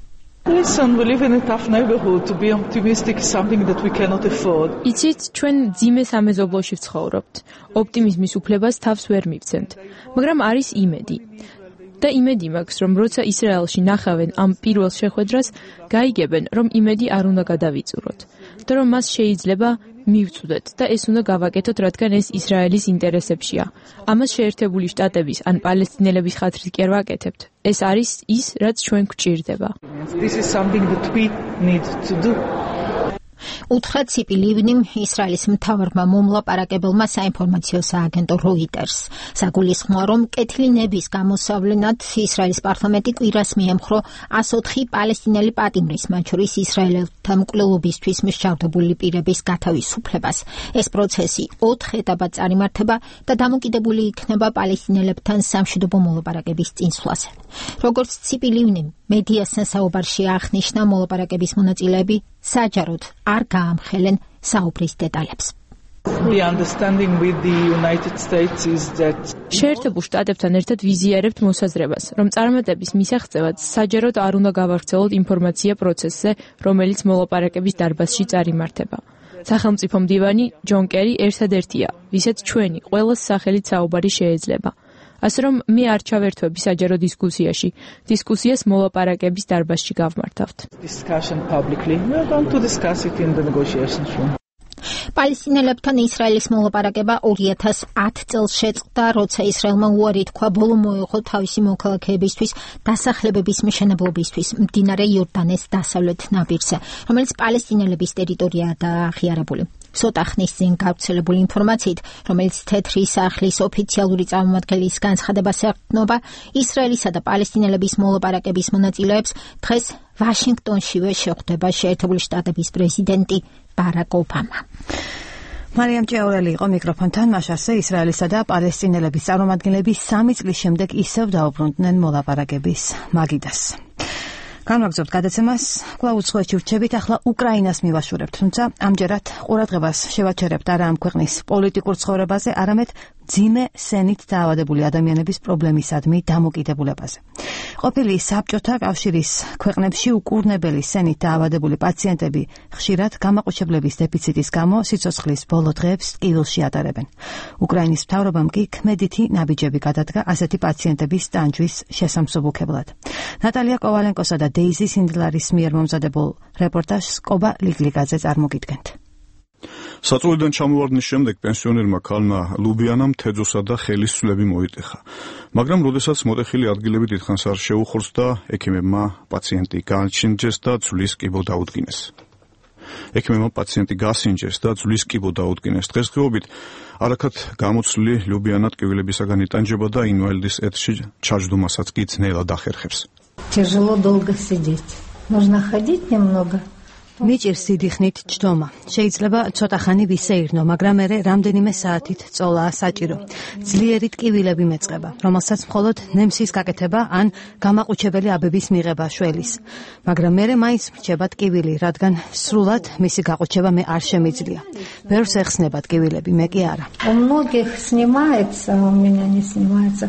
Listen, we live in a tough neighborhood. To be optimistic is something that we cannot afford.
იცით, ჩვენ ძიმე სამეზობლოში ვცხოვრობთ. ოპტიმიზმის უფლებას თავს ვერ მივცემთ, მაგრამ არის იმედი. და იმედი მაქვს, რომ როცა ისრაელში ნახავენ ამ პირველ შეხვედრას, გაიგებენ, რომ იმედი არ უნდა გადავიწუროთ და რომ მას შეიძლება მივწუდეთ და ეს უნდა გავაკეთოთ, რადგან ეს ისრაელის ინტერესებშია. ამას შეერთებული შტატების ან პალესტინელების ხათრით კი არ ვაკეთებთ. ეს არის ის, რაც ჩვენ გვჭირდება.
This is something that we need to do.
უთხრა ციპი ლივნიმ ისრაელის მთავარმა მომლაპარაკებელმა საინფორმაციო სააგენტო როიტერს. საგულისხმოა, რომ კეთილი ნების გამოსავლენად ისრაელის პარლამენტი კვირას მიემხრო 104 პალესტინელი პატიმრის, მათ შორის ისრაელელთა მკვლელობისთვის მსჯავრდებული პირების გათავისუფლებას. ეს პროცესი 4 ეტაპად წარიმართება და დამოკიდებული იქნება პალესტინელებთან სამშვიდობო მოლაპარაკების წინსვლაზე. როგორც ციპი ლივნიმ მედიასთან საუბარში აღნიშნა, მოლაპარაკების მონაწილეები საჯაროდ არ გაამხელენ საუბრის დეტალებს.
The understanding with the United States is that
შეერთებულ შტატებთან ერთად ვიზიარებთ მოსაზრებას, რომ წარმატების მისაღწევად საჯაროდ არ უნდა გავავრცელოთ ინფორმაცია პროცესზე, რომელიც მოლაპარაკების დარბაზში წარიმართება. სახელმწიფო მდივანი ჯონ კერი ერთადერთია, ვისაც ჩვენი ყველას სახელით საუბარი შეეძლება. ასე რომ მე არ ჩავერთვები საჯარო დისკუსიაში. დისკუსიას მოლაპარაკების დარბაზში გავმართავთ.
Discussion publicly. We are going to discuss it in the negotiations room.
პალესტინელებთან ისრაელის მოლაპარაკება 2010 წელს შეწყდა, როცა ისრაელმა უარი თქვა ბოლო მოეღო თავისი მოქალაქეებისთვის დასახლებების მშენებლობისთვის მდინარე იორდანეს დასავლეთ ნაპირზე, რომელიც პალესტინელების ტერიტორიაა და აღიარებული. ცოტა ხნის წინ გავრცელებული ინფორმაციით, რომელიც თეთრი სახლის ოფიციალური წარმომადგენლის განცხადებას ეყრდნობა, ისრაელისა და პალესტინელების მოლაპარაკების მონაწილეებს დღეს ვაშინგტონშივე შეხვდება შეერთებული შტატების პრეზიდენტი ბარაკ ობამა.
მარიამ ჭეურელი იყო მიკროფონთან, მაშასე ისრაელისა და პალესტინელების წარმომადგენლები 3 წლის შემდეგ ისევ დაუბრუნდნენ მოლაპარაკების მაგიდას. განვაგრძობთ გადაცემას, კვლავ უცხოეთში ვრჩებით, ახლა უკრაინას მივაშურებთ, თუმცა ამჯერად ყურადღებას შევაჩერებთ არა ამ ქვეყნის პოლიტიკურ ცხოვრებაზე, არამედ ძიმე სენით დაავადებული ადამიანების პრობლემისადმი დამოკიდებულებაზე. ყოფილი საბჭოთა კავშირის ქვეყნებში უკურნებელი სენით დაავადებული პაციენტები ხშირად გამაყუჩებლების დეფიციტის გამო სიცოცხლის ბოლო დღეებს ტკივილში ატარებენ. უკრაინის მთავრობამ კი ქმედითი ნაბიჯები გადადგა ასეთი პაციენტების ტანჯვის შესამსუბუქებლად. ნატალია კოვალენკოსა და დეიზი სინდლარის მიერ მომზადებულ რეპორტაჟს კობა ლიგლიგაძე წარმოგიდგენთ.
საწოლიდან ჩამოვარდნის შემდეგ პენსიონერმა ქალმა ლუბიანამ თეძოსა და ხელის ცვლები მოიტეხა. მაგრამ როდესაც მოტეხილი ადგილები დიდხანს არ შეუხურს და ექიმებმა პაციენტი განჩინჯეს და ძვლის კიბო დაუდგინეს. დღესდღეობით არაქად გამოცვლი ლუბიანა ტკივილებისაგან იტანჯება და ინვალიდის ეთში ჩაჯდომასაც კი ძნელად ახერხებს.
Тяжело долго сидеть. Нужно ходить немного.
მიჭირს სიდიხნით ჯდომა. შეიძლება ცოტა ხანი ვისეირნო, მაგრამ მერე რამდენიმე საათით წოლაა საჭირო. ძლიერი ტკივილები მეწყება, რომელსაც მხოლოდ ნემსის გაკეთება ან გამაყუჩებელი აბების მიღება შველის. მაგრამ მერე მაინც მრჩება ტკივილი, რადგან სრულად მისი გაყუჩება მე არ შემიძლია. ბევრს ეხსნება ტკივილები, მე კი არა.
У многих снимается, у меня не снимается.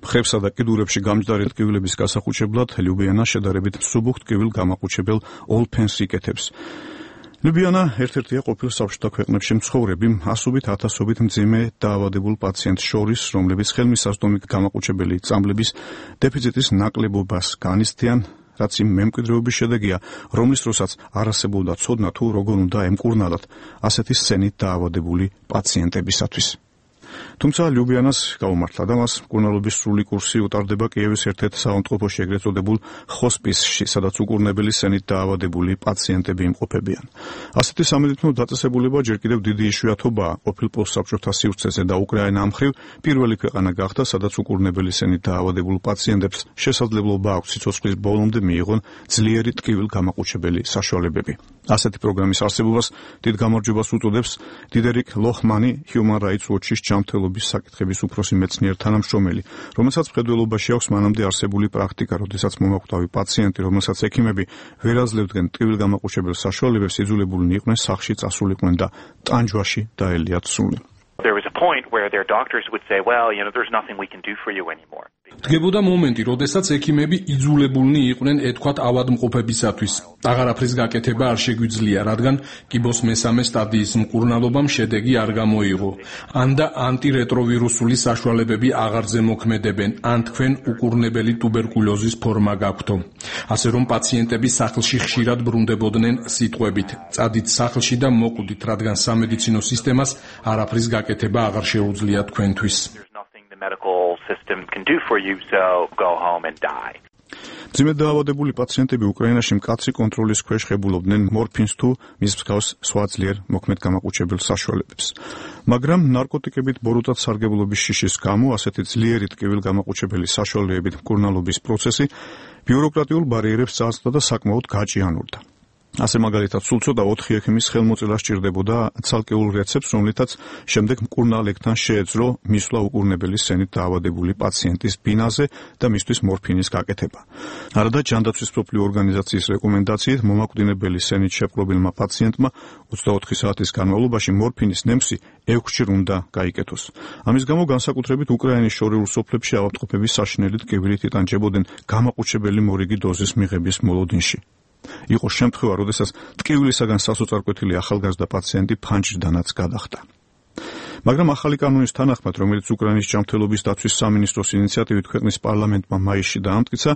მხრებსა და კიდურებში გამჯდარი ტკივილების გასახუჩებლად ლუბიანა შედარებით მსუბუქ ტკივილ გამაყუჩებელ ოლფენს იკეთებს. ლუბიანა ერთ-ერთია ყოფილ საბჭოთა ქვეყნებში მცხოვრები ასობით ათასობით მძიმე დაავადებულ პაციენტს შორის, რომლებიც ხელმისაწვდომი გამაყუჩებელი წამლების დეფიციტის ნაკლებობას განიცდიან, რაც იმ მემკვიდრეობის შედეგია, რომლის დროსაც არ არსებობდა ცოდნა თუ როგორ უნდა ემკურნალათ ასეთი სცენით დაავადებული პაციენტებისათვის. თუმცა ლუბიანას გაუმართლა და მას მკურნალობის სრული კურსი უტარდება კიევის ერთ-ერთ საავადმყოფოში ეგრეთ წოდებულ ხოსპისში, სადაც უკურნებელი სცენით დაავადებული პაციენტები იმყოფებიან. ასეთი სამედიცინო დაწესებულება ჯერ კიდევ დიდი იშვიათობაა ყოფილ პოსტსაბჭოთა სივრცეზე და უკრაინა ამ მხრივ პირველი ქვეყანა გახდა, სადაც უკურნებელი სცენით დაავადებულ პაციენტებს შესაძლებლობა აქვს სიცოცხლის ბოლომდე მიიღონ ძლიერი ტკივილ გამაყუჩებელი საშუალებები. ასეთი პროგრამის არსებობას დიდ გამარჯვებას უწოდებს დიდერიკ ლოხმანი, Human Rights Watch-ის ჯანმრთელობის საკითხების უფროსი მეცნიერ თანამშრომელი, რომელსაც მხედველობაში აქვს მანამდე არსებული პრაქტიკა, როდესაც მომაკვდავი პაციენტი, რომელსაც ექიმები ვერ აძლევდნენ ტკივილ გამაყუჩებელ საშუალებებს, იძულებულნი იყვნენ სახლში წასულიყვნენ და ტანჯვაში დაელიათ სული.
There was a point where their doctors would say, well, there's nothing we can do for you anymore.
დგებოდა მომენტი, როდესაც ექიმები იძულებულნი იყვნენ ეთქვათ ავადმყოფებისათვის. აღარაფრის გაკეთება არ შეგვიძლია, რადგან კიბოს მესამე სტადიის მკურნალობამ შედეგი არ გამოიღო. ან და ანტირეტროვირუსული საშუალებები აღარ ზემოქმედებენ, ან თქვენ უკურნებელი ტუბერკულოზის ფორმა გაქვთო. ასე რომ პაციენტები სახლში ხშირად ბრუნდებოდნენ სიტყვებით: წადით სახლში და მოკვდით, რადგან სამედიცინო სისტემას არაფრის გაკეთება აღარ შეუძლია თქვენთვის.
Medical system can do for you, so go home and die.
ძიმედ დაავადებული პაციენტები უკრაინაში მკაცრი კონტროლის ქვეშ ღებულობდნენ მორფინს თუ მის მსგავს სხვა ძლიერ მოქმედ გამაყუჩებელ საშუალებებს. მაგრამ ნარკოტიკებით ბოროტად სარგებლობის შიშის გამო ასეთი ძლიერი ტკივილ გამაყუჩებელი საშუალებებით მკურნალობის პროცესი ბიუროკრატიულ ბარიერებს წააწყდა და საკმაოდ გაჭიანურდა. ასე მაგალითად სულ ცოტა 4 ექიმის ხელმოწერა სჭირდებოდა ცალკეულ რეცეპტს, რომლითაც შემდეგ მკურნალებთან შეეძლო მისვლა უკურნებელი სცენით დაავადებული პაციენტის ბინაზე და მისთვის მორფინის გაკეთება. არადა ჯანდაცვის მსოფლიო ორგანიზაციის რეკომენდაციით მომაკვდინებელი სცენით შეპყრობილმა პაციენტმა 24 საათის განმავლობაში მორფინის ნემსი 6-ჯერ უნდა გაიკეთოს. ამის გამო განსაკუთრებით უკრაინის შორეულ სოფლებში ავადმყოფების საშინელი ტკივილით იტანჯებოდნენ გამაყუჩებელი მორიგი დოზის მიღების მოლოდინში. იყო შემთხვევა, როდესაც ტკივილისაგან სასოწარკვეთილი ახალგაზრდა პაციენტი ფანჯრიდანაც გადახდა. მაგრამ ახალი კანონის თანახმად, რომელიც უკრაინის ჯანმრთელობის დაცვის სამინისტროს ინიციატივით ქვეყნის პარლამენტმა მაისში დაამტკიცა,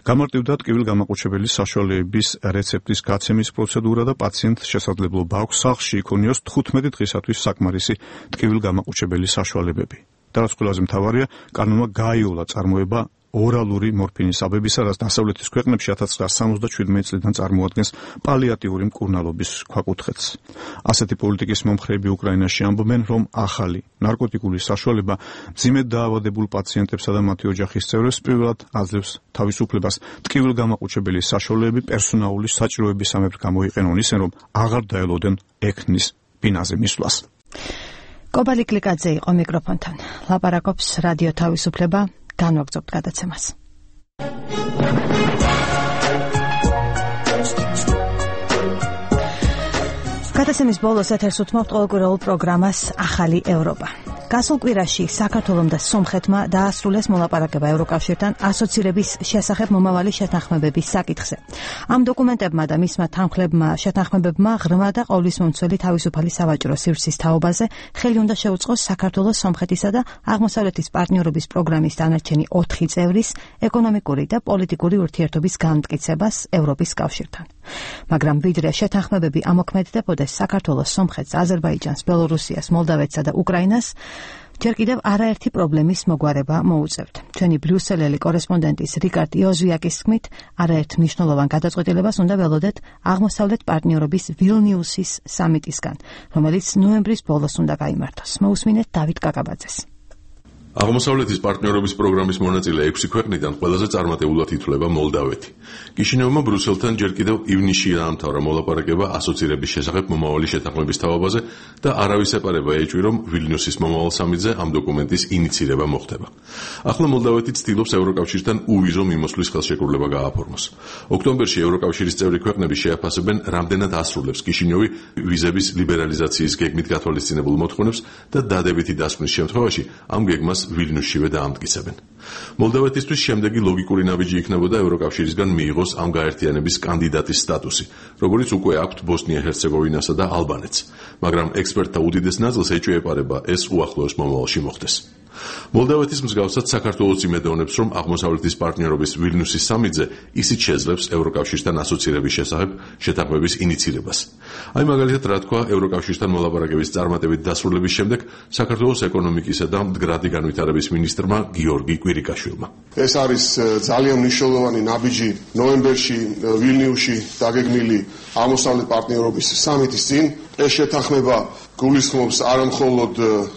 გამარტივდა ტკივილგამაყუჩებელი საშუალებების რეცეპტის გაცემის პროცედურა და პაციენტს შესაძლებლობა აქვს სახლში იქონიოს 15 დღისათვის საკმარისი ტკივილგამაყუჩებელი საშუალებები. და რაც ყველაზე მთავარია, კანონმა გააიოლა წარმოება ორალური მორფინის აბებისა, რაც დასავლეთის ქვეყნებში 1977 წლიდან წარმოადგენს პალიატიური მკურნალობის ქვაკუთხედს. ასეთი პოლიტიკის მომხრეები უკრაინაში ამბობენ, რომ ახალი ნარკოტიკული საშუალება მძიმედ დაავადებულ პაციენტებსა და მათი ოჯახის წევრებს პირველად აძლევს თავისუფლებას ტკივილგამაყუჩებელი საშუალებები პერსონალური საჭიროებისამებრ გამოიყენონ ისე, რომ აღარ დაელოდენ ექნის ბინაზე მისვლას.
კობალი კლიკაძე იყო მიკროფონთან. ლაპარაკობს რადიო თავისუფლება. განვაგრძობთ გადაცემას. გადაცემის ბოლოს ეთერს უთმობთ ყოველკვირეულ პროგრამას ახალი ევროპა. გასულ კვირაში საქართველომ და სომხეთმა დაასრულეს მოლაპარაკება ევროკავშირთან ასოცირების შესახებ მომავალი შეთანხმებების საკითხზე. ამ დოკუმენტებმა და მისმა თანხმლებმა შეთანხმებებმა ღრმა და ყოვლისმომცველი თავისუფალი სავაჭრო სივრცის თაობაზე ხელი უნდა შეუწყოს საქართველოს, სომხეთისა და აღმოსავლეთის პარტნიორობის პროგრამის დანარჩენი 4 წევრის ეკონომიკური და პოლიტიკური ურთიერთობის განმტკიცებას ევროპის კავშირთან. მაგრამ ვიდრე შეთანხმებები ამოქმედებოდეს საქართველოს, სომხეთს, აზერბაიჯანს, ბელორუსიას, მოლდავეთსა და უკრაინას, ჯერ კიდევ არაერთი პრობლემის მოგვარება მოუწევთ. ჩვენი ბრიუსელელი კორესპონდენტის რიკარდ იოზვიაკის თქმით, არაერთ მნიშვნელოვან გადაწყვეტილებას უნდა ველოდეთ აღმოსავლეთ პარტნიორობის ვილნიუსის სამიტისგან, რომელიც ნოემბრის ბოლოს უნდა გაიმართოს. მოусმინეთ დავით კაკაბაძეს.
აღმოსავლეთის პარტნიორობის პროგრამის მონაწილე 6 ქვეყნიდან ყველაზე წარმატებულად ითვლება მოლდავეთი. კიშინევმა ბრიუსელთან ჯერ კიდევ ივნისში დაამთავრა მოლაპარაკება ასოცირების შესახებ მომავალი შეთანხმების თაობაზე და არავის ეპარება ეჭვი, რომ ვილნიუსის მომავალ სამიტზე ამ დოკუმენტის ინიცირება მოხდება. ახლა მოლდავეთი ცდილობს ევროკავშირთან უვიზო მიმოსვლის ხელშეკრულება გააფორმოს. ოქტომბერში ევროკავშირის წევრი ქვეყნები შეაფასებენ, რამდენად ასრულებს კიშინევი ვიზების ლიბერალიზაციის გეგმით გათვალისწინებულ მოთხოვნებს და დადებითი დასკვნის შემთხვევაში ამ გეგმას ვილნიუსშივე დაამტკიცებენ. მოლდავეთისთვის შემდეგი ლოგიკური ნაბიჯი იქნებოდა ევროკავშირისგან მიიღოს ამ გაერთიანების კანდიდატის სტატუსი, როგორც უკვე აქვთ ბოსნია-ჰერცეგოვინასა და ალბანეთს, მაგრამ ექსპერტთა უდიდეს ნაწილს ეჭვი ეპარება ეს უახლოეს მომავალში მოხდეს. მოლდავეთის მსგავსად საქართველოს იმედოვნებს, რომ აღმოსავლეთის პარტნიორობის ვილნიუსის სამიტზე ისიც შეძლებს ევროკავშირთან ასოცირების შესახებ შეთანხმების ინიცირებას. აი მაგალითად რა თქვა ევროკავშირთან მოლაპარაკების წარმატებით დასრულების შემდეგ საქართველოს ეკონომიკისა და მდგრადი განვითარების მინისტრმა გიორგი კვირიკაშვილმა.
ეს არის ძალიან მნიშვნელოვანი ნაბიჯი ნოემბერში ვილნიუსში დაგეგმილი აღმოსავლეთ პარტნიორობის სამიტის წინ. ეს შეთანხმება გულისხმობს არა მხოლოდ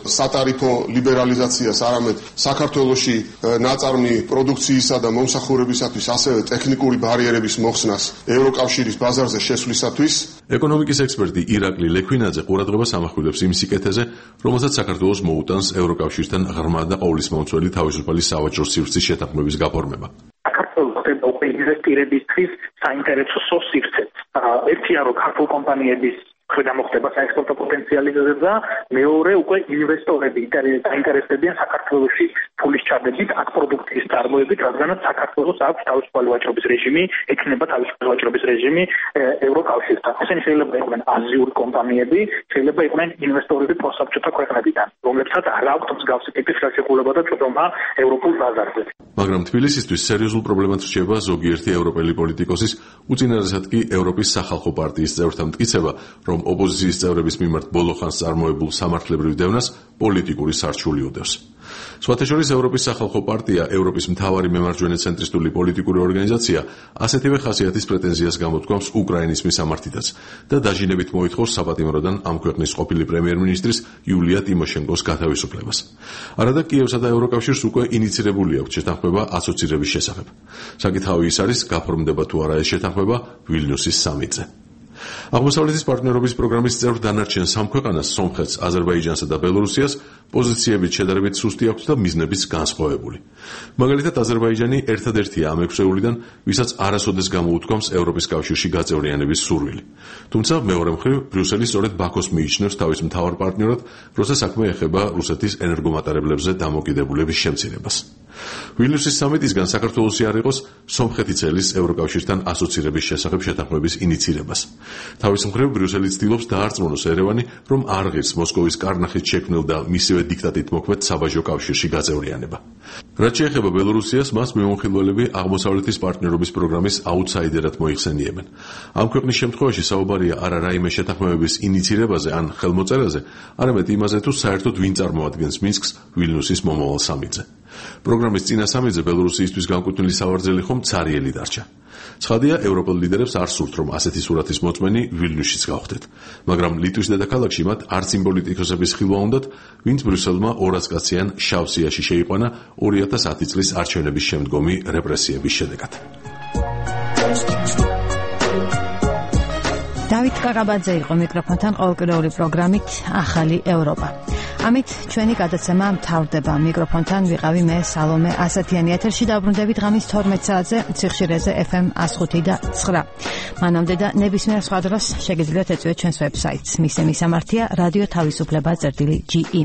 სატარიფო ლიბერალიზაციას, არამედ საქართველოში ნაწარმი პროდუქციისა და მომსახურებისათვის ასევე ტექნიკური ბარიერების მოხსნას ევროკავშირის ბაზარზე შესვლისათვის.
ეკონომიკის ექსპერტი ირაკლი ლექვინაძე ყურადღებას ამახვილებს იმ სიკეთეზე, რომელსაც საქართველოს მოუტანს ევროკავშირთან ღრმა და ყოვლისმომცველი თავისუფალი სავაჭრო სივრცის შეთანხმების გაფორმება.
საქართველოს ხდება უკვე ინვესტირებისთვის საინტერესო სივრცეც. ერთია რომ ქართულ კომპანიების ქვედა მოხდება საექსპორტო პოტენციალი და მეორე უკვე ინვესტორები დაინტერესდებიან საქართველოში ფულის ჩადებით აქ პროდუქციის წარმოებით, რადგანაც საქართველოს აქვს თავისუფალი ვაჭრობის რეჟიმი, ექნება თავისუფალი ვაჭრობის რეჟიმი ევროკავშირთან. ესენი შეიძლება იყვნენ აზიური კომპანიები, შეიძლება იყვნენ ინვესტორები პროსაბჭოთა ქვეყნებიდან, რომლებსაც არ აქვთ მსგავსი ტიპის ხელშეკრულება და წვდომა ევროპულ ბაზარზე.
მაგრამ თბილისისთვის სერიოზულ პრობლემად რჩება ზოგიერთი ევროპელი პოლიტიკოსის, უწინარესად კი ევროპის სახალხო პარტიის წევრთა მტკიცება, რომ ოპოზიციის წევრების მიმართ ბოლო ხანს წარმოებულ სამართლებრივ დევნას პოლიტიკური სარჩული უდევს. სხვათა შორის ევროპის სახალხო პარტია, ევროპის მთავარი მემარჯვენე ცენტრისტული პოლიტიკური ორგანიზაცია, ასეთივე ხასიათის პრეტენზიას გამოთქვამს უკრაინის მისამართითაც და დაჟინებით მოითხოვს საპატიმროდან ამ ქვეყნის ყოფილი პრემიერ-მინისტრის იულია ტიმოშენკოს გათავისუფლებას. არადა კიევსა და ევროკავშირს უკვე ინიცირებული აქვს შეთანხმება ასოცირების შესახებ. საკითხავი ის არის, გაფორმდება თუ არა ეს შეთანხმება ვილნიუსის სამიტზე. აღმოსავლეთის პარტნიორობის პროგრამის წევრ დანარჩენ სამ ქვეყანას, სომხეთს, აზერბაიჯანსა და ბელორუსიას, პოზიციებით შედარებით სუსტი აქვს და მიზნებიც განსხვავებული. მაგალითად, აზერბაიჯანი ერთადერთია ამ 6 ევრიდან, ვისაც არასოდეს გამოუთქვამს ევროპის კავშირში გაწევრიანების სურვილი. თუმცა მეორე მხრივ, ბრიუსელი სწორედ ბაქოს მიიჩნევს თავის მთავარ პარტნიორად, როცა საქმე ეხება რუსეთის ენერგომატარებლებზე დამოკიდებულების შემცირებას. ვილნიუსის სამიტისგან საქართველოსი არ იყოს სომხეთი წელის ევროკავშირთან ასოცირების შესახებ შეთანხმების ინიცირებას. თავის მხრივ ბრიუსელი ცდილობს დაარწმუნოს ერევანი, რომ არ ღირს მოსკოვის კარნახით შექმნილ და მისივე დიქტატით მოქმედ საბაჟო კავშირში გაწევრიანება. რაც შეეხება ბელორუსიას, მას მეუხილველები აღმოსავლეთის პარტნიორობის პროგრამის აუთსაიდერად მოიხსენიებენ. ამ ქვეყნის შემთხვევაში საუბარია არა რაიმე შეთანხმებების ინიცირებაზე ან ხელმოწერაზე, არამედ იმაზე, თუ საერთოდ ვინ წარმოადგენს მინსკს ვილნიუსის მომავალ სამიტზე. პროგრამის წინა სამიტზე ბელორუსიისთვის განკუთვნილი სავარძელი ხომ ცარიელი დარჩა. ცხადია, ევროპელ ლიდერებს არ სურთ, რომ ასეთი სურათის მოწმენი ვილნიუსშიც გავხდეთ, მაგრამ ლიტვის დედაქალაქში მათ არც იმ პოლიტიკოსების ხილვა უნდათ, ვინც ბრიუსელმა 200 კაციან შავ სიაში შეიყვანა 2010 წლის არჩევნების შემდგომი რეპრესიების შედეგად.
დავით კაკაბაძე იყო მიკროფონთან ყოველკვირეული პროგრამით ახალი ევროპა. ამით ჩვენი გადაცემა მთავრდება. მიკროფონთან ვიყავი მე სალომე ასათიანი. ეთერში დაბრუნდებით ღამის 12 საათზე ციხშირეზე FM 105 და 9. მანამდე და ნებისმიერ სხვა დროს შეგიძლიათ ეწვიოთ ჩვენს ვებსაიტს. მის მისამართია რადიო თავისუფლება.ge.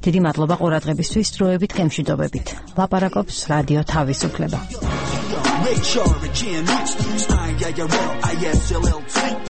დიდი მადლობა ყურადღებისთვის. დროებით გემშვიდობებით. ლაპარაკობს რადიო თავისუფლება.